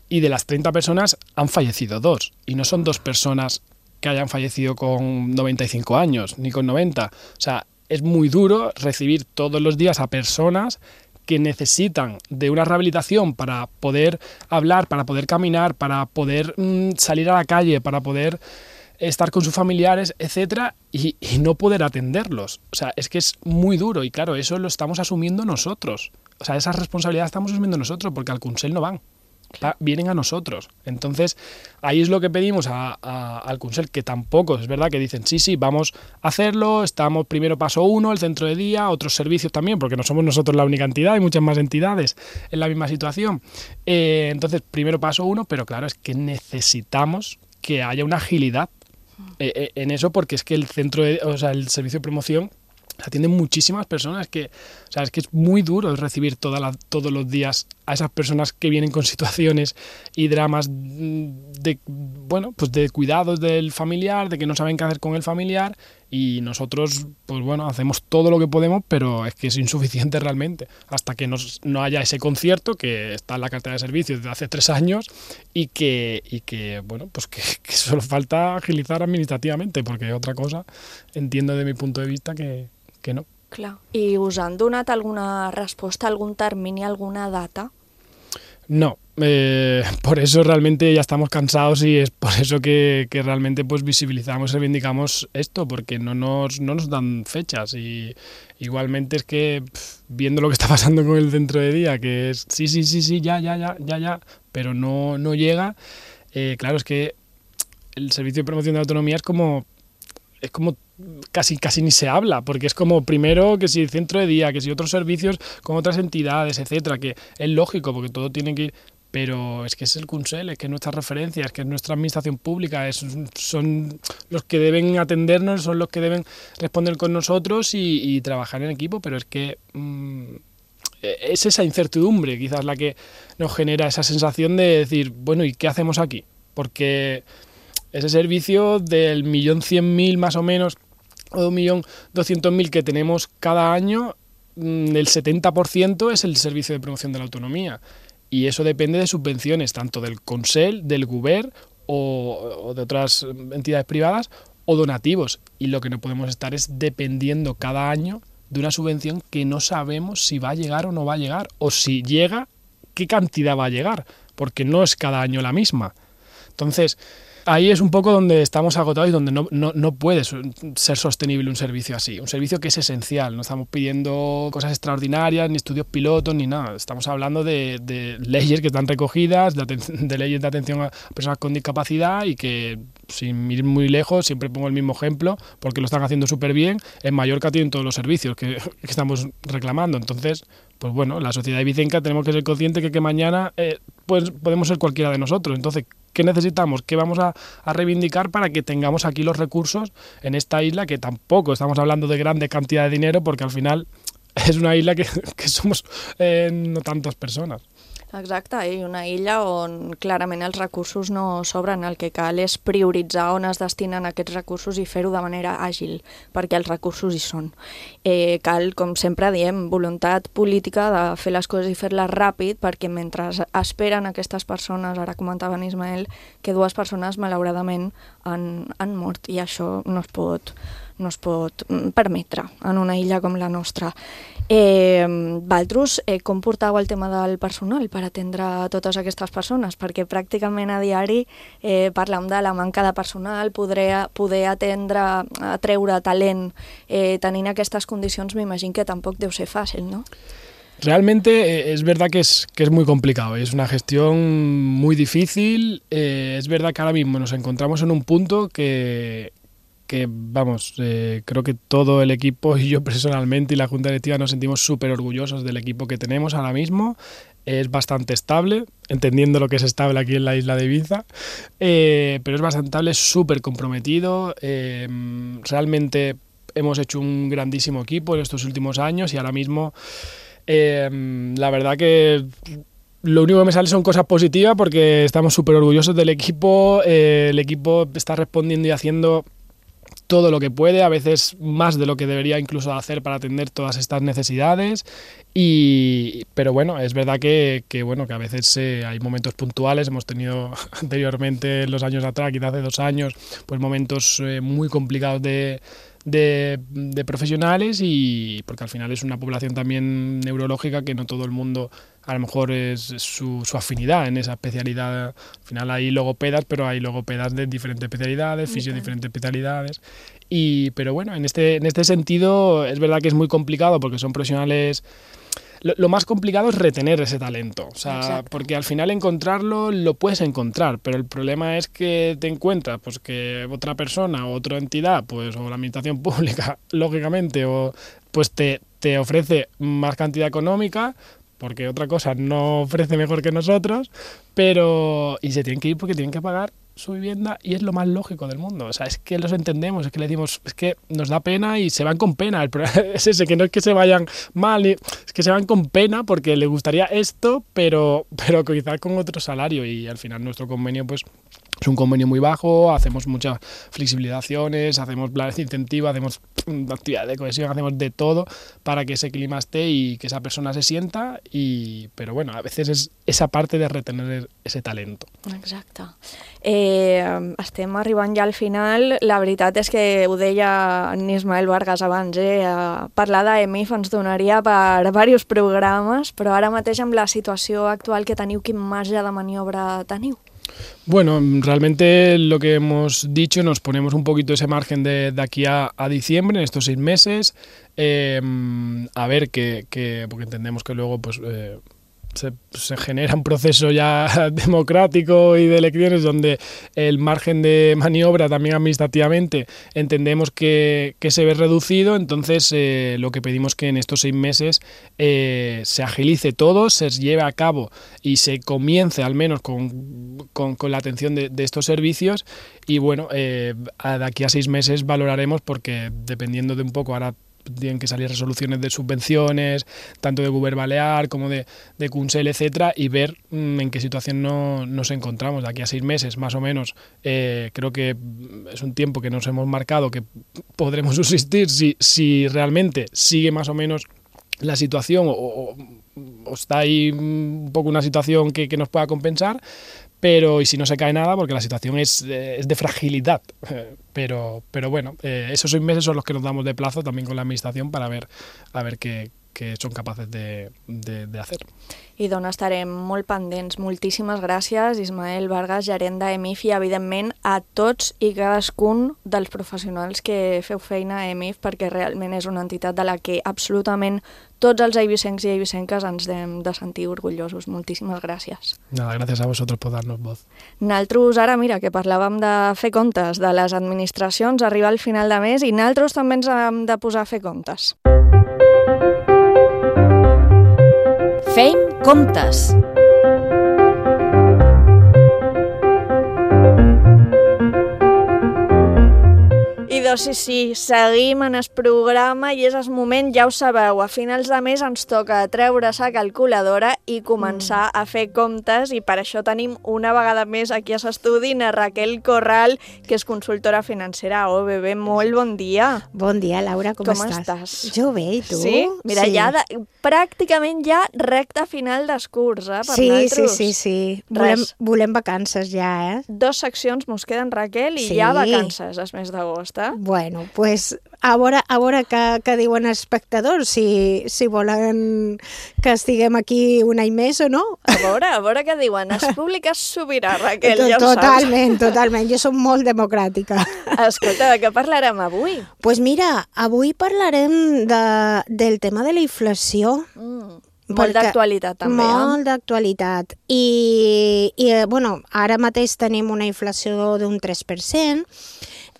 y de las treinta personas han fallecido dos. Y no son dos personas que hayan fallecido con noventa y cinco años, ni con noventa. O sea, es muy duro recibir todos los días a personas que necesitan de una rehabilitación para poder hablar, para poder caminar, para poder mmm, salir a la calle, para poder estar con sus familiares, etcétera, y, y no poder atenderlos. O sea, es que es muy duro y claro, eso lo estamos asumiendo nosotros. O sea, esa responsabilidad estamos asumiendo nosotros porque al Consell no van. Va, vienen a nosotros. Entonces, ahí es lo que pedimos a, a, al Consell, que tampoco, es verdad que dicen, sí, sí, vamos a hacerlo, estamos primero paso uno, el centro de día, otros servicios también, porque no somos nosotros la única entidad, hay muchas más entidades en la misma situación. Eh, entonces, primero paso uno, pero claro, es que necesitamos que haya una agilidad eh, eh, en eso, porque es que el centro de, o sea, el servicio de promoción atiende muchísimas personas que, o sea, es que es muy duro recibir toda la, todos los días a esas personas que vienen con situaciones y dramas de, bueno, pues de cuidados del familiar, de que no saben qué hacer con el familiar y nosotros, pues bueno, hacemos todo lo que podemos, pero es que es insuficiente realmente hasta que nos, no haya ese concierto que está en la cartera de servicios desde hace tres años y que, y que bueno, pues que, que solo falta agilizar administrativamente porque otra cosa entiendo de mi punto de vista que que no. Clar. I us han donat alguna resposta, algun termini, alguna data? No, eh, por eso realmente ya estamos cansados y es por eso que, que realmente pues visibilizamos y reivindicamos esto, porque no nos, no nos dan fechas y igualmente es que pff, viendo lo que está pasando con el centro de día, que es sí, sí, sí, sí, ya, ya, ya, ya, ya, pero no, no llega, eh, claro, es que el servicio de promoción de la autonomía es como es como casi casi ni se habla, porque es como primero que si el centro de día, que si otros servicios con otras entidades, etcétera, que es lógico porque todo tiene que ir, pero es que es el Consell, es que es nuestra referencia, es que es nuestra administración pública, es, son los que deben atendernos, son los que deben responder con nosotros y, y trabajar en equipo, pero es que mmm, es esa incertidumbre quizás la que nos genera esa sensación de decir, bueno, ¿y qué hacemos aquí? Porque ese servicio del millón cien mil más o menos o un millón doscientos mil que tenemos cada año, el setenta por ciento es el servicio de promoción de la autonomía y eso depende de subvenciones tanto del Consell, del Govern o, o de otras entidades privadas o donativos y lo que no podemos estar es dependiendo cada año de una subvención que no sabemos si va a llegar o no va a llegar o si llega, qué cantidad va a llegar porque no es cada año la misma. Entonces, ahí es un poco donde estamos agotados y donde no, no, no puede ser sostenible un servicio así. Un servicio que es esencial. No estamos pidiendo cosas extraordinarias, ni estudios pilotos, ni nada. Estamos hablando de, de leyes que están recogidas, de, de leyes de atención a personas con discapacidad y que, sin ir muy lejos, siempre pongo el mismo ejemplo, porque lo están haciendo súper bien. En Mallorca tienen todos los servicios que, que estamos reclamando. Entonces, pues bueno, la sociedad ibicenca tenemos que ser conscientes que, que mañana eh, pues podemos ser cualquiera de nosotros. Entonces, ¿qué necesitamos? ¿Qué vamos a, a reivindicar para que tengamos aquí los recursos en esta isla? Que tampoco estamos hablando de grandes cantidades de dinero porque al final és una isla que, que somos eh, no tantes persones. Exacte, i una illa on clarament els recursos no sobren. El que cal és prioritzar on es destinen aquests recursos i fer-ho de manera àgil, perquè els recursos hi són. Eh, cal, com sempre diem, voluntat política de fer les coses i fer-les ràpid, perquè mentre esperen aquestes persones, ara comentava en Ismael, que dues persones malauradament han, han mort, i això no es pot, no es pot permetre en una illa com la nostra. Eh, Valtros, eh, com portau el tema del personal per atendre totes aquestes persones? Perquè pràcticament a diari eh, parlem de la manca de personal, poder, poder atendre, atreure talent, eh, tenint aquestes condicions, m'imagino que tampoc deu ser fàcil, ¿no? Realmente eh, es verdad que es, que es muy complicado, es una gestión muy difícil, eh, es verdad que ahora mismo nos encontramos en un punto que... que vamos, eh, creo que todo el equipo y yo personalmente y la Junta Directiva nos sentimos súper orgullosos del equipo que tenemos ahora mismo. Es bastante estable, entendiendo lo que es estable aquí en la isla de Ibiza, eh, pero es bastante estable, súper comprometido. Eh, realmente hemos hecho un grandísimo equipo en estos últimos años y ahora mismo eh, la verdad que... Lo único que me sale son cosas positivas porque estamos súper orgullosos del equipo, eh, el equipo está respondiendo y haciendo todo lo que puede, a veces más de lo que debería incluso hacer para atender todas estas necesidades, y, pero bueno, es verdad que, que, bueno, que a veces eh, hay momentos puntuales, hemos tenido anteriormente en los años atrás, quizás hace dos años, pues momentos eh, muy complicados de, de, de profesionales, y porque al final es una población también neurológica que no todo el mundo a lo mejor es su, su afinidad en esa especialidad. Al final hay logopedas, pero hay logopedas de diferentes especialidades, fisio de diferentes especialidades. Y, pero bueno, en este, en este sentido es verdad que es muy complicado porque son profesionales... Lo, lo más complicado es retener ese talento, o sea, Exacto. porque al final encontrarlo lo puedes encontrar, pero el problema es que te encuentras pues que otra persona o otra entidad, pues o la administración pública, lógicamente, o pues te, te ofrece más cantidad económica, porque otra cosa no ofrece mejor que nosotros, pero y se tienen que ir porque tienen que pagar su vivienda y es lo más lógico del mundo. O sea, es que los entendemos, es que le decimos, es que nos da pena y se van con pena. El problema es ese, que no es que se vayan mal, es que se van con pena porque les gustaría esto, pero, pero quizás con otro salario y al final nuestro convenio pues es un convenio muy bajo, hacemos muchas flexibilizaciones, hacemos planes de incentivo, hacemos actividades de cohesión, hacemos de todo para que ese clima esté y que esa persona se sienta, y, pero bueno, a veces és esa parte de retener ese talento. Exacte. Eh, estem arribant ja al final. La veritat és que ho deia en Ismael Vargas abans, eh? Parlar d'A M I F ens donaria per diversos programes, però ara mateix amb la situació actual que teniu, quin marge de maniobra teniu? Bueno, realmente lo que hemos dicho, nos ponemos un poquito ese margen de, de aquí a, a diciembre, en estos seis meses, eh, a ver que, que, porque entendemos que luego pues eh, se, se genera un proceso ya democrático y de elecciones donde el margen de maniobra también administrativamente entendemos que, que se ve reducido. Entonces eh, lo que pedimos que en estos seis meses eh, se agilice todo, se lleve a cabo y se comience al menos con, con, con la atención de, de estos servicios, y bueno, eh, de aquí a seis meses valoraremos, porque dependiendo de un poco, ahora tienen que salir resoluciones de subvenciones, tanto de Govern Balear como de, de Consell, etcétera, y ver mmm, en qué situación no, nos encontramos. De aquí a seis meses, más o menos, eh, creo que es un tiempo que nos hemos marcado que podremos subsistir si, si realmente sigue más o menos la situación o, o, o está ahí un poco una situación que, que nos pueda compensar, pero y si no se cae nada, porque la situación es, eh, es de fragilidad. Eh, pero, pero bueno, eh, esos seis meses son los que nos damos de plazo también con la administración para ver, a ver qué, qué son capaces de, de, de hacer. I d'on estarem molt pendents. Moltíssimes gràcies, Ismael Vargas, gerent d'A M I F, i evidentment a tots i cadascun dels professionals que feu feina a A M I F, perquè realment és una entitat de la que absolutament tots els eivissencs i eivissenques ens hem de sentir orgullosos. Moltíssimes gràcies. Nada, gràcies a vosotros por darnos voz. Naltros, ara, mira, que parlàvem de fer comptes de les administracions, arriba al final de mes i naltros també ens hem de posar a fer comptes. Fem comptes. I doncs sí, sí, seguim en el programa i és el moment, ja ho sabeu, a finals de mes ens toca treure la calculadora i començar mm. a fer comptes, i per això tenim una vegada més aquí a l'estudi na Raquel Corral, que és consultora financera a O B B. Molt bon dia. Bon dia, Laura, com, com estàs? estàs? Jo bé, i tu? Sí? Mira, sí. ja de, pràcticament ja recta final del curs, eh, per sí, nosaltres. Sí, sí, sí. Volem, volem vacances ja, eh? Dos seccions mos queden, Raquel, i sí. ja vacances el mes d'agost, eh? Bueno, pues a veure, a veure què, què diuen els espectadors, si, si volen que estiguem aquí un any més o no. A veure, a veure què diuen. El públic és sobirà, Raquel, ja ho totalment, saps. Totalment, jo soc molt democràtica. Escolta, de què parlarem avui? Doncs pues mira, avui parlarem de, del tema de la inflació. Mm. Molt d'actualitat, també. Molt d'actualitat. I, i, bueno, ara mateix tenim una inflació d'un tres per cent,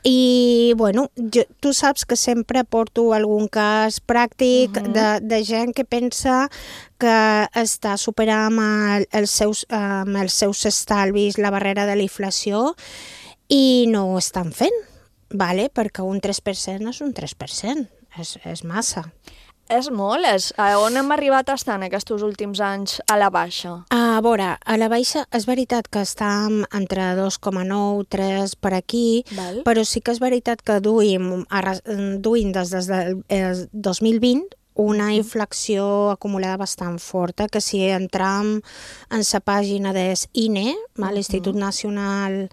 i bueno, jo, tu saps que sempre porto algun cas pràctic uh-huh. de, de gent que pensa que està superant amb, el, els, seus, amb els seus estalvis la barrera de la inflació i no ho estan fent, vale? Perquè un tres per cent és un tres per cent, és, és massa. És molt. És, a on hem arribat a estar en aquests últims anys a la baixa? A veure, a la baixa és veritat que estàvem entre dos coma nou, tres per aquí, Val. Però sí que és veritat que duim, duim des, des del dos mil vint una inflació acumulada bastant forta, que si entram en la pàgina de l'I N E, l'Institut Nacional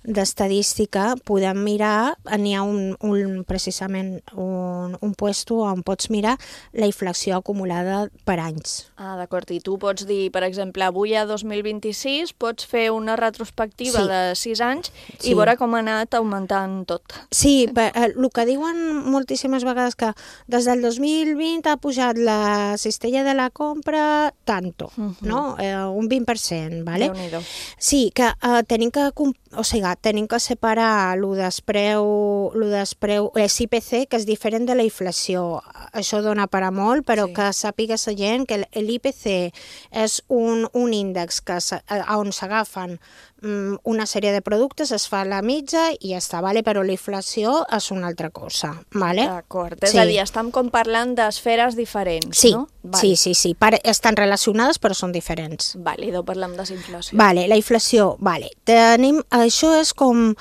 d'Estadística, podem mirar, n'hi ha un, un, precisament un, un puesto on pots mirar la inflació acumulada per anys. Ah, d'acord. I tu pots dir, per exemple, avui a dos mil vint-i-sis pots fer una retrospectiva Sí. de sis anys Sí. i veure com ha anat augmentant tot. Sí, però, eh, el que diuen moltíssimes vegades que des del dos mil vint ha pujat la cistella de la compra tanto, no? Eh, un vint per cent, ¿vale? Déu-n'hi-do. Sí, que eh, tenim que, com- o sigui, tenim que separar lo despreu, lo despreu, l'I P C, que és diferent de la inflació. Això dona per a molt, però sí. que sàpiga la gent que l'I P C és un, un índex que se, on s'agafen mm, una sèrie de productes, es fa la mitja i ja està, vale? Però la inflació és una altra cosa. Vale? D'acord. És Sí. a dir, estem com parlant d'esferes diferents, Sí, no? Val. sí, sí, sí. Pare, estan relacionades però són diferents. Vale, i doncs parlem de inflació. Vale, la inflació, vale. Tenim, això és com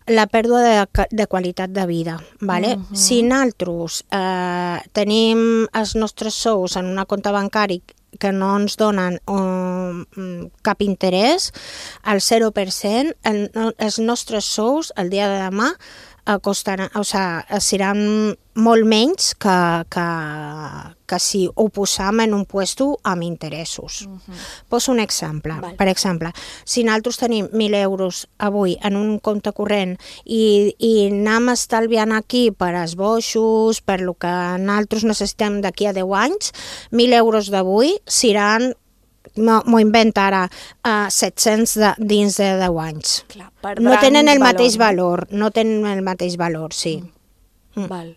la pèrdua de, ca- de qualitat de vida, vale? Mhm. Si nosaltres eh, tenim els nostres sous en una compte bancari que no ens donen um, cap interès, al zero per cent, el, els nostres sous el dia de demà eh, costaran, o sigui, seran molt menys que, que, que si ho posam en un puesto amb interessos. Poso un exemple. Val. Per exemple, si nosaltres tenim mil euros avui en un compte corrent i, i anem estalviant aquí per esboixos, per el que nosaltres necessitem d'aquí a deu anys, mil euros d'avui seran, m'ho invento ara, uh, set-cents de, dins de deu anys. Clar, per No tenen el valor, mateix no? valor, no tenen el mateix valor, sí. Mm. Val.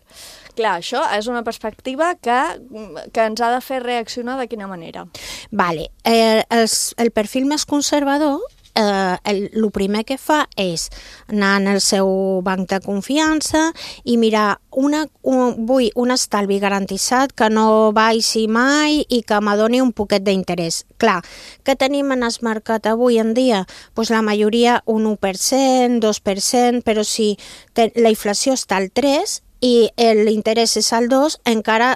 Clar, això és una perspectiva que, que ens ha de fer reaccionar de quina manera. Vale. Eh, els, el perfil més conservador, eh, el, el primer que fa és anar en el seu banc de confiança i mirar, una, un, vull un estalvi garantitzat que no baixi mai i que m'adoni un poquet d'interès. Clar, què tenim en el mercat avui en dia? Pues la majoria un u per cent, dos per cent, però si te, la inflació està al tres per cent, i l'interès és al dos, encara,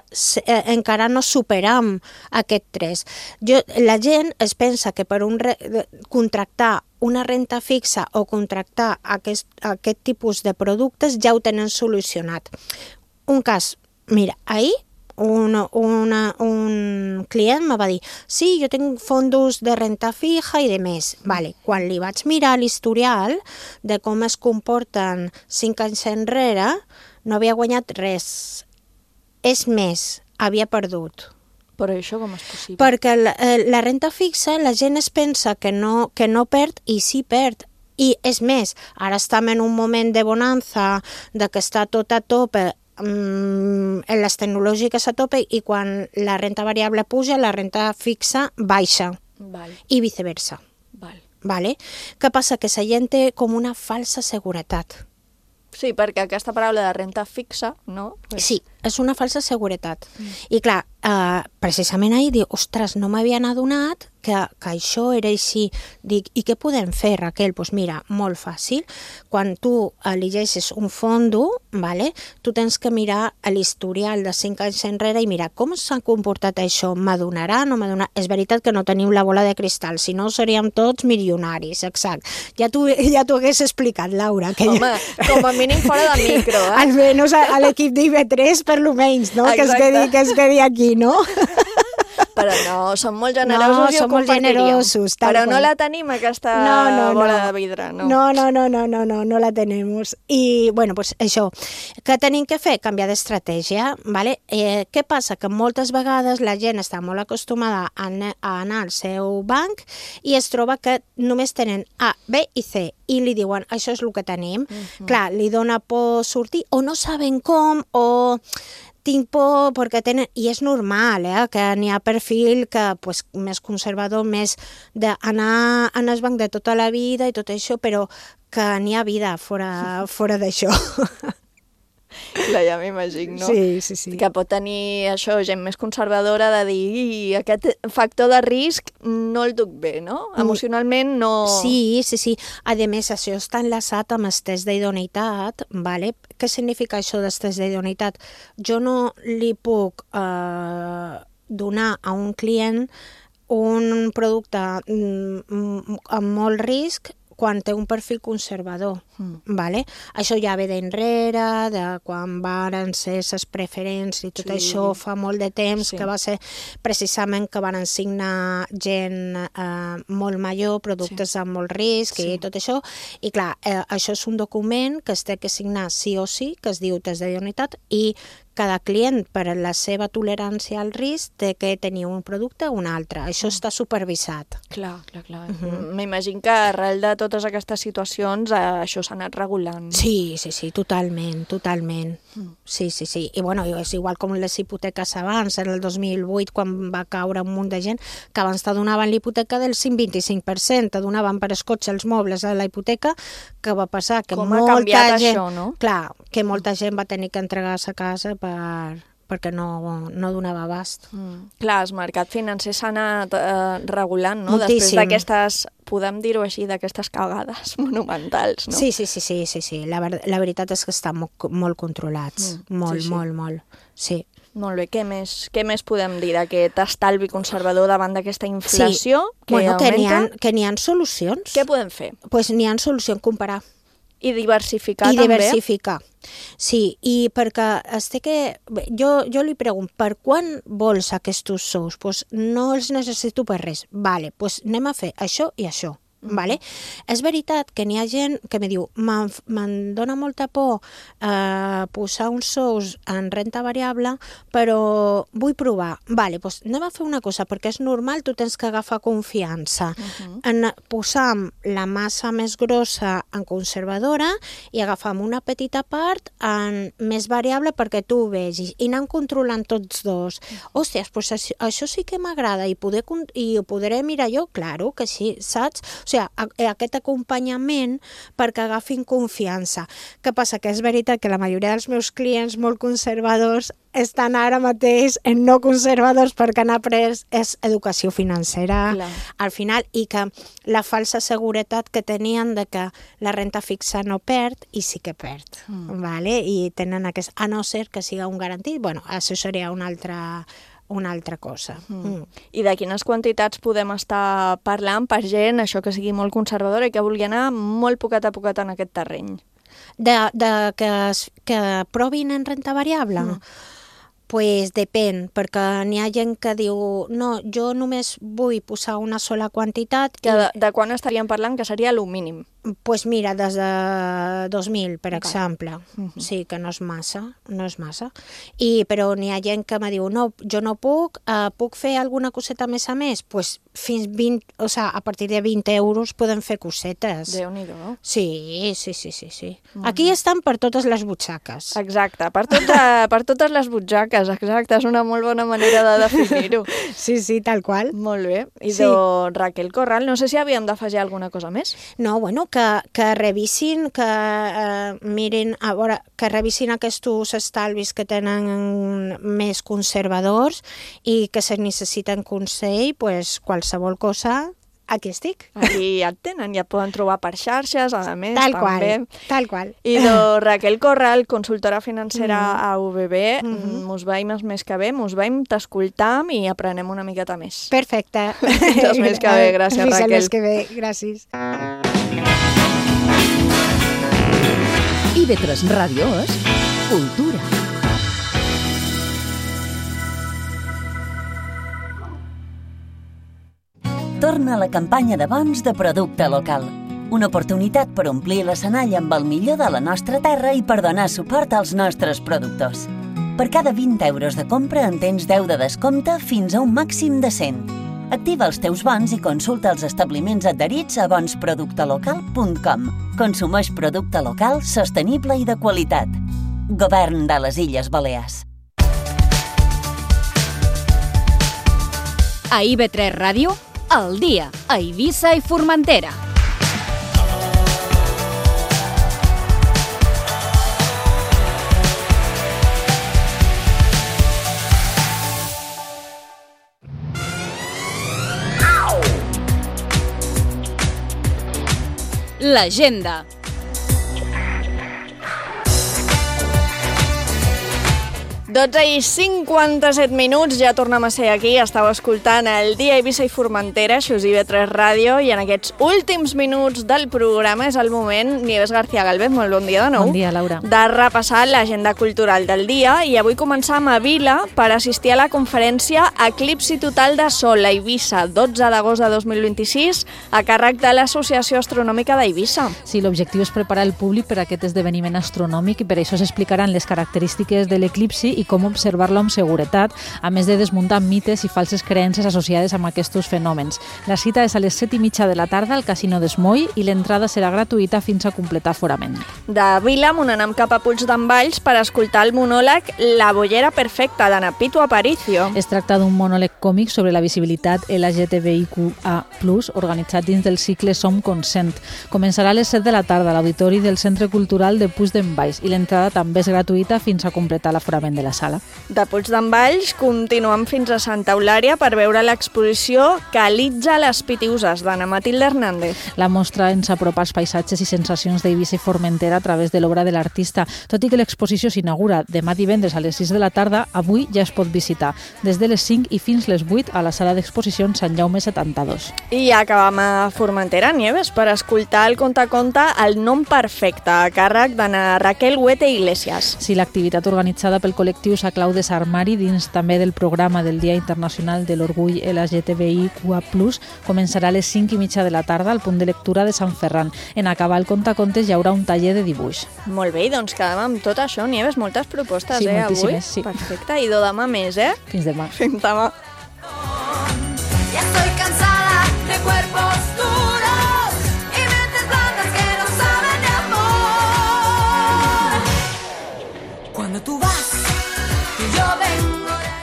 eh, encara no superam aquest tres. Jo, la gent es pensa que per un re, contractar una renta fixa o contractar aquest, aquest tipus de productes ja ho tenen solucionat. Un cas, mira, ahir un, una, un client me va dir sí, jo tinc fondos de renta fija i de més. Vale. Quan li vaig mirar l'historial de com es comporten cinc anys enrere, no havia guanyat res. És més, havia perdut. Però això com és possible? Perquè la, la renta fixa, la gent es pensa que no, que no perd i sí perd. I és més, ara estem en un moment de bonança, de que està tot a tope, um, les tecnològiques a tope, i quan la renta variable puja, la renta fixa baixa. Val. I viceversa. Val. Vale? Què passa? Que la gent té com una falsa seguretat. Sí, perquè aquesta paraula de renta fixa, no? Pues... Sí, és una falsa seguretat. Mm. I clar, eh, precisament ahir diu, ostres, no m'havien adonat que, que això era així. Dic, i què podem fer, Raquel? Doncs pues mira, molt fàcil. Quan tu elegeixes un fondo, vale, tu tens que mirar l'historial de cinc anys enrere i mirar com s'ha comportat això. M'adonarà, no m'adonarà? És veritat que no tenim la bola de cristal, si no seríem tots milionaris, exacte. Ja t'ho ja hagués explicat, Laura. Que Home, ja... com a mínim fora de micro, eh? Almenys a, a l'equip d'I V tres, per lo menys, no? Que es, quedi, que es quedi aquí, no? Però no, som molt generosos no, i ho som molt compartiríem. generosos. Però com... no la tenim, aquesta no, no, bola no. de vidre, no? No, no, no, no, no, no, no la tenemos. I, bueno, pues això, què tenim que fer? Canviar d'estratègia, ¿vale? Eh, què passa? Que moltes vegades la gent està molt acostumada a, a anar al seu banc i es troba que només tenen A, B i C, i li diuen, això és el que tenim. Uh-huh. Clar, li dona por sortir, o no saben com, o... tinc por perquè tenen... I és normal, eh? Que n'hi ha perfil que, pues, més conservador, més d'anar en el banc de tota la vida i tot això, però que n'hi ha vida fora, fora d'això. Clar, ja m'imagino. Sí, sí, sí. Que pot tenir això, gent més conservadora de dir i aquest factor de risc no el duc bé, no? Emocionalment no... Sí, sí, sí. A més, això està enlaçat amb el test d'idoneïtat, vale? Què significa això del test d'idoneïtat? Jo no li puc eh, donar a un client un producte amb molt risc quan té un perfil conservador. Mm. Vale? Això ja ve d'enrere, de quan varen ser les preferents i tot sí. això fa molt de temps, sí. que va ser precisament que van signar gent eh, molt major, productes sí. amb molt risc sí. i tot això. I clar, eh, això és un document que es té que signar sí o sí, que es diu test d'idoneïtat, i cada client, per la seva tolerància al risc, té que tenir un producte o un altre. Això està supervisat. Clar, clar, clar. Uh-huh. M'imagino que arrel de totes aquestes situacions eh, això s'ha anat regulant. Sí, sí, sí, totalment, totalment. Mm. Sí, sí, sí. I bueno, és igual com les hipoteques abans, en el dos mil vuit, quan va caure un munt de gent, que abans te donaven l'hipoteca del cinc coma vint-i-cinc per cent, te donaven per escotxe els mobles a la hipoteca, que va passar que com molta ha canviat gent... això, no? Clar, que molta gent va tenir que entregar-se a casa per, perquè no, no donava abast. Mm. Clar, el mercat financer s'ha anat eh, regulant, no? Moltíssim. Després d'aquestes, podem dir-ho així, d'aquestes cagades monumentals, no? Sí, sí, sí, sí, sí, sí. La, ver la veritat és que estan molt, molt controlats. Mm. Molt, sí, sí. molt, molt. Sí. Molt bé, què més, què més podem dir d'aquest estalvi conservador davant d'aquesta inflació sí. que bueno, augmenta? Que n'hi ha, que n'hi ha solucions. Què podem fer? Doncs pues n'hi ha solucions, comparar. I diversificar I també? I diversificar, sí, i perquè es té que... Jo, jo li pregunto, per quan vols aquests sous? Pues no els necessito per res. Vale, pues anem a fer això i això. Vale? És veritat que n'hi ha gent que me diu me'n dona molta por eh, posar uns sous en renta variable, però vull provar. Vale, doncs anem a fer una cosa, perquè és normal, tu tens que agafar confiança. Uh-huh. En posar la massa més grossa en conservadora i agafar una petita part en més variable perquè tu ho vegis i anant controlant tots dos. Hòsties, doncs això, això sí que m'agrada i, poder, i ho podré mirar jo? Claro que sí, saps? O sigui, aquest acompanyament perquè agafin confiança. Què passa? Que és veritat que la majoria dels meus clients molt conservadors estan ara mateix en no conservadors perquè han après és educació financera Clar. Al final, i que la falsa seguretat que tenien de que la renta fixa no perd i sí que perd, mm. vale? I tenen aquest, a no ser que siga un garantit, bueno, això seria una altra una altra cosa. Mm. Mm. I de quines quantitats podem estar parlant per gent, això que sigui molt conservadora i que vulgui anar molt poquet a poquet en aquest terreny? De, de que, que provin en renta variable? Mm. Pues depèn, perquè n'hi ha gent que diu no, jo només vull posar una sola quantitat. Que de, de quan estaríem parlant que seria el mínim? Pues mira, des de dos mil, per okay. exemple. Uh-huh. Sí, que no és massa, no és massa. I, però n'hi ha gent que me diu, no, jo no puc, uh, puc fer alguna coseta més a més? Pues fins vint, o sea, a partir de vint euros podem fer cosetes. Déu-n'hi-do. Sí, sí, sí, sí. sí. Uh-huh. Aquí estan per totes les butxaques. Exacte, per, tot, per totes les butxaques, exacte, és una molt bona manera de definir-ho. Sí, sí, tal qual. Molt bé. I sí. de Raquel Corral, no sé si havíem d'afegir alguna cosa més. No, bueno, que, que revisin, que eh, mirin, a veure, que revisin aquests estalvis que tenen més conservadors i que se necessiten consell, pues, qualsevol cosa, aquí estic. Aquí ja et tenen, ja et poden trobar per xarxes, a més, tal també. Qual, tal qual. I de Raquel Corral, consultora financera mm. a U B B, mm-hmm. mos veiem el mes que ve, mos veiem, t'escoltam i aprenem una miqueta més. Perfecte. El mes que ve, gràcies, Fins Raquel. El mes que ve, gràcies. I B tres Ràdio és cultura. Torna la campanya de bons de producte local. Una oportunitat per omplir l'escenari amb el millor de la nostra terra i per donar suport als nostres productors. Per cada vint euros de compra en tens deu de descompte fins a un màxim de cent. Activa els teus bons i consulta els establiments adherits a bons producte local punt com. Consumeix producte local, sostenible i de qualitat. Govern de les Illes Balears. A I B tres Ràdio, al dia, a Eivissa i Formentera. l'agenda. dotze i cinquanta-set minuts, ja tornem a ser aquí. Estàu escoltant el Dia Eivissa i Formentera, això és I V tres Ràdio, i en aquests últims minuts del programa és el moment, Nieves García Galvez, molt bon dia de nou. Bon dia, Laura. De repassar l'agenda cultural del dia, i avui començam a Vila per assistir a la conferència Eclipsi Total de Sol a Eivissa, dotze d'agost de dos mil vint-i-sis, a càrrec de l'Associació Astronòmica d'Eivissa. Sí, l'objectiu és preparar el públic per a aquest esdeveniment astronòmic i per això s'explicaran les característiques de l'eclipsi i com observar-lo amb seguretat, a més de desmuntar mites i falses creences associades amb aquests fenòmens. La cita és a les set i mitja de la tarda al Casino d'Esmoi i l'entrada serà gratuïta fins a completar aforament. De Vila m'anem cap a Puigdemvalls per escoltar el monòleg La bollera perfecta, d'Ana Pitu Aparicio. Es tracta d'un monòleg còmic sobre la visibilitat L G T B I Q A plus, organitzat dins del cicle Som Consent. Començarà a les set de la tarda a l'Auditori del Centre Cultural de Puigdemvalls i l'entrada també és gratuïta fins a completar l'aforament de la sala. De Puigdemvalls continuem fins a Santa Eulària per veure l'exposició Calitja les Pitiuses, d'Anna Matilde Hernández. La mostra ens apropa als paisatges i sensacions d'Eivissa i Formentera a través de l'obra de l'artista. Tot i que l'exposició s'inaugura demà divendres a les sis de la tarda, avui ja es pot visitar, des de les cinc i fins les vuit a la sala d'exposicions Sant Jaume setanta-dos. I acabam a Formentera, Nieves, per escoltar el conte a conte El nom perfecte, a càrrec d'Anna Raquel Huete Iglesias. Sí, l'activitat organitzada pel col·lectiu Saclau de Sarmari, dins també del programa del Dia Internacional de l'Orgull L G T B I Q A plus, començarà a les cinc i mitja de la tarda al punt de lectura de Sant Ferran. En acabar el contacontes hi haurà un taller de dibuix. Molt bé, doncs quedem amb tot això, Nieves, moltes propostes, sí, eh, avui? Sí, perfecte, i do demà més, eh? Fins demà. Fins demà. Ya estoy cansada de cuerpos duros y mentes blandas que no saben de amor. Cuando tú vas, yo vengo.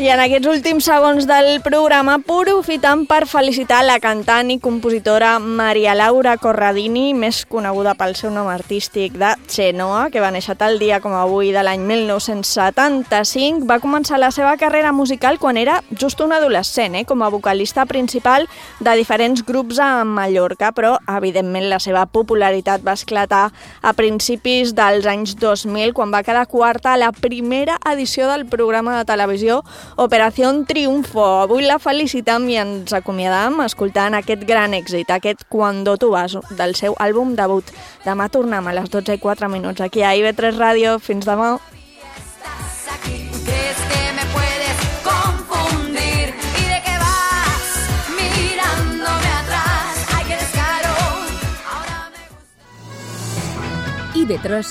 I en aquests últims segons del programa aprofitam per felicitar la cantant i compositora Maria Laura Corradini, més coneguda pel seu nom artístic de Chenoa, que va néixer tal dia com avui de l'any mil nou-cents setanta-cinc. Va començar la seva carrera musical quan era just un adolescent, eh, com a vocalista principal de diferents grups a Mallorca, però evidentment la seva popularitat va esclatar a principis dels anys dos mil, quan va quedar quarta a la primera edició del programa de televisió Operación Triunfo. Avui la felicitam i ens acomiadam escoltant aquest gran èxit, aquest Cuando tú vas, del seu àlbum debut. Demà tornem a les dotze i quatre minuts aquí a I V tres Ràdio. Fins demà. ¿Crees que me puedes confundir? ¿Y de qué vas mirándome atrás? ¡Ay, qué descaro! I V tres